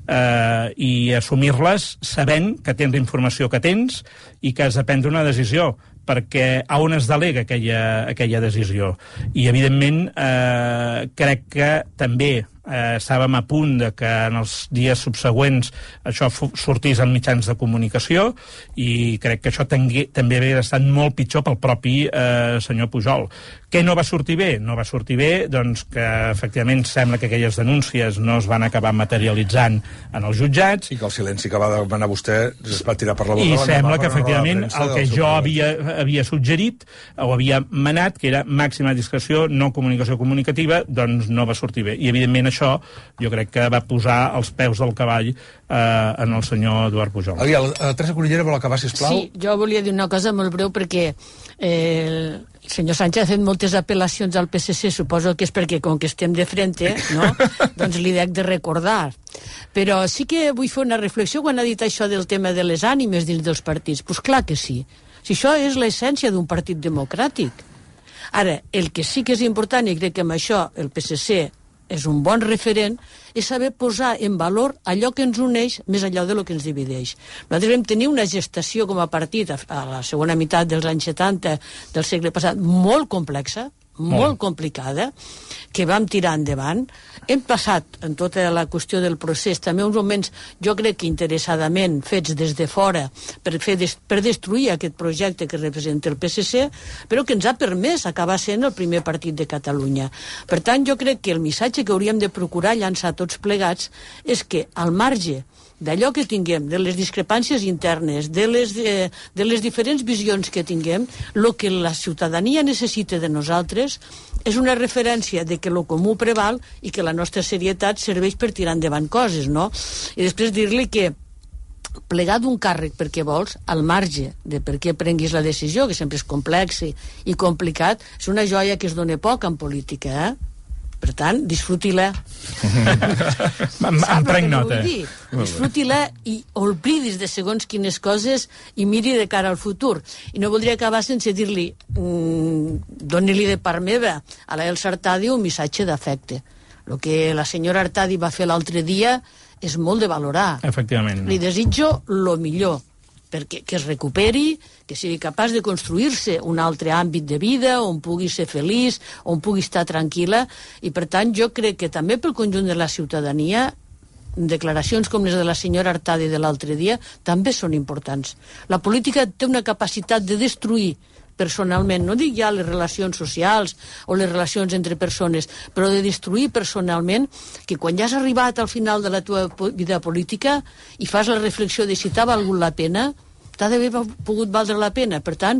eh, i assumir-les sabent que tens la informació que tens i que has de prendre una decisió, perquè a on es delega aquella, aquella decisió. I, evidentment, eh, crec que també eh, estàvem a punt de que en els dies subsegüents això sortís en mitjans de comunicació, i crec que això tengui, també hauria estat molt pitjor pel propi eh, senyor Pujol. Què no va sortir bé? No va sortir bé doncs, que efectivament sembla que aquelles denúncies no es van acabar materialitzant en els jutjats. I que el silenci que va demanar vostè es va tirar per la boca. I sembla que efectivament el que jo havia, havia suggerit o havia manat, que era màxima discreció, no comunicació comunicativa, doncs no va sortir bé. I evidentment això jo crec que va posar els peus del cavall eh, en el senyor Eduard Pujol. Aviam, Teresa Cunillera vol acabar, sisplau? Sí, jo volia dir una cosa molt breu perquè eh, el senyor Sánchez ha fet moltes apel·lacions al P S C, suposo que és perquè com que estem de frente, no? Doncs li dec de recordar. Però sí que vull fer una reflexió quan ha dit això del tema de les ànimes dins dels partits. Doncs pues clar que sí. Si això és l'essència d'un partit democràtic. Ara, el que sí que és important, i crec que amb això el P S C és un bon referent, és saber posar en valor allò que ens uneix més allò de lo que ens divideix. Nosaltres vam tenir una gestació com a partit a la segona meitat dels anys setanta del segle passat molt complexa, molt complicada, que vam tirar endavant. Hem passat en tota la qüestió del procés també uns moments, jo crec que interessadament fets des de fora per, fer des, per destruir aquest projecte que representa el P S C, però que ens ha permès acabar sent el primer partit de Catalunya. Per tant, jo crec que el missatge que hauríem de procurar llançar tots plegats és que al marge d'allò que tinguem, de les discrepàncies internes, de les, de, de les diferents visions que tinguem, el que la ciutadania necessita de nosaltres és una referència de que el comú preval i que la nostra serietat serveix per tirar endavant coses, no? I després dir-li que plegar d'un càrrec perquè vols, al marge de per què prenguis la decisió, que sempre és complex i, i complicat, és una joia que es dona poc en política, eh? Per tant, disfruti-la. Em prenc nota. Disfruti-la i oblidis de segons quines coses i miri de cara al futur. I no voldria acabar sense dir-li mmm, doni-li de part meva a la Elsa Artadi un missatge d'afecte. El que la senyora Artadi va fer l'altre dia és molt de valorar. Efectivament. Li desitjo lo millor, perquè que es recuperi, que sigui capaç de construir-se un altre àmbit de vida on pugui ser feliç, on pugui estar tranquil·la, i per tant jo crec que també pel conjunt de la ciutadania declaracions com les de la senyora Artadi de l'altre dia també són importants. La política té una capacitat de destruir personalment, no dic ja les relacions socials o les relacions entre persones, però de destruir personalment, que quan ja has arribat al final de la teva vida política i fas la reflexió de si t'ha valgut la pena, t'ha d'haver pogut valdre la pena. Per tant,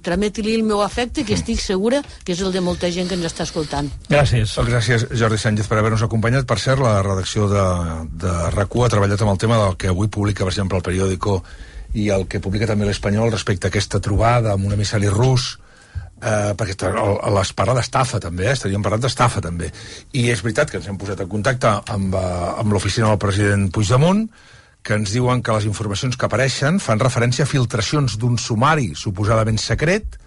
trameti-li el meu afecte, que estic segura que és el de molta gent que ens està escoltant. Gràcies. Gràcies, Jordi Sánchez, per haver-nos acompanyat. Per cert, la redacció de, de RAC u ha treballat amb el tema del que avui publica, per exemple, el periòdico i el que publica també l'Espanyol respecte a aquesta trobada amb un emissari rus, eh, perquè es parla d'estafa també, eh? Estaríem parlant d'estafa també. I és veritat que ens hem posat en contacte amb, amb l'oficina del president Puigdemont, que ens diuen que les informacions que apareixen fan referència a filtracions d'un sumari suposadament secret,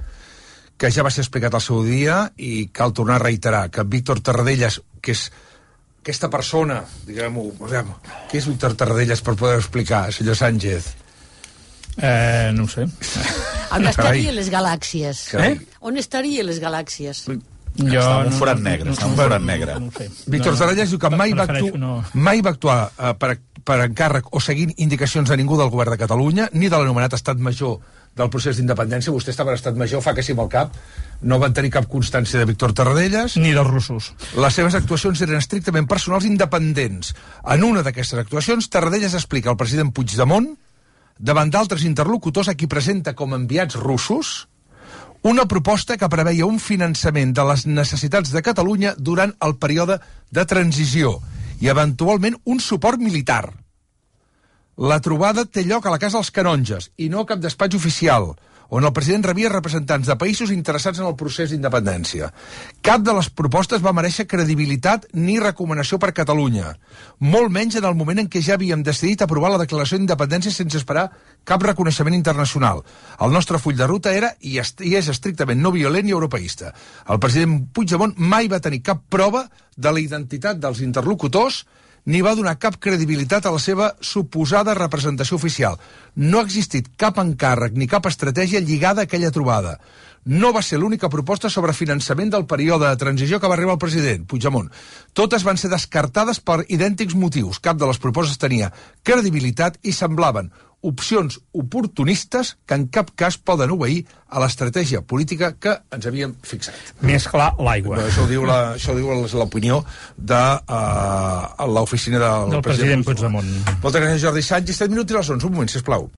que ja va ser explicat al seu dia i cal tornar a reiterar que Víctor Tarradellas, que és aquesta persona, diguem-ho, què és Víctor Tarradellas per poder explicar, senyor Sánchez? Eh, no ho sé. On estaria les galàxies? Eh? On estaria les galàxies? Jo està en un forat negre, està en un forat negre. No, no sé. Víctor no, Tarradellas diu que mai va, actu no. mai va actuar uh, per, per encàrrec o seguint indicacions de ningú del govern de Catalunya, ni de l'anomenat estat major del procés d'independència. Vostè estava en estat major, fa que sí amb el cap. No van tenir cap constància de Víctor Tarradellas. Ni dels russos. Les seves actuacions eren estrictament personals independents. En una d'aquestes actuacions, Tarradellas explica al president Puigdemont, davant d'altres interlocutors a qui presenta com enviats russos, una proposta que preveia un finançament de les necessitats de Catalunya durant el període de transició i, eventualment, un suport militar. La trobada té lloc a la Casa dels Canonges i no a cap despatx oficial, on el president rebia representants de països interessats en el procés d'independència. Cap de les propostes va mereixer credibilitat ni recomanació per Catalunya, molt menys en el moment en què ja havíem decidit aprovar la declaració d'independència sense esperar cap reconeixement internacional. El nostre full de ruta era i és estrictament no violent i europeista. El president Puigdemont mai va tenir cap prova de la identitat dels interlocutors ni va donar cap credibilitat a la seva suposada representació oficial. No ha existit cap encàrrec ni cap estratègia lligada a aquella trobada. no va ser l'única proposta sobre finançament del període de transició que va arribar el president Puigdemont. Totes van ser descartades per idèntics motius. Cap de les propostes tenia credibilitat i semblaven opcions oportunistes que en cap cas poden obeir a l'estratègia política que ens havíem fixat. Més clar, l'aigua. Això ho diu la, això ho diu l'opinió de uh, l'oficina del, del president, president Puigdemont. Moltes gràcies, Jordi Sánchez. set minuts i les onze. Un moment, sisplau.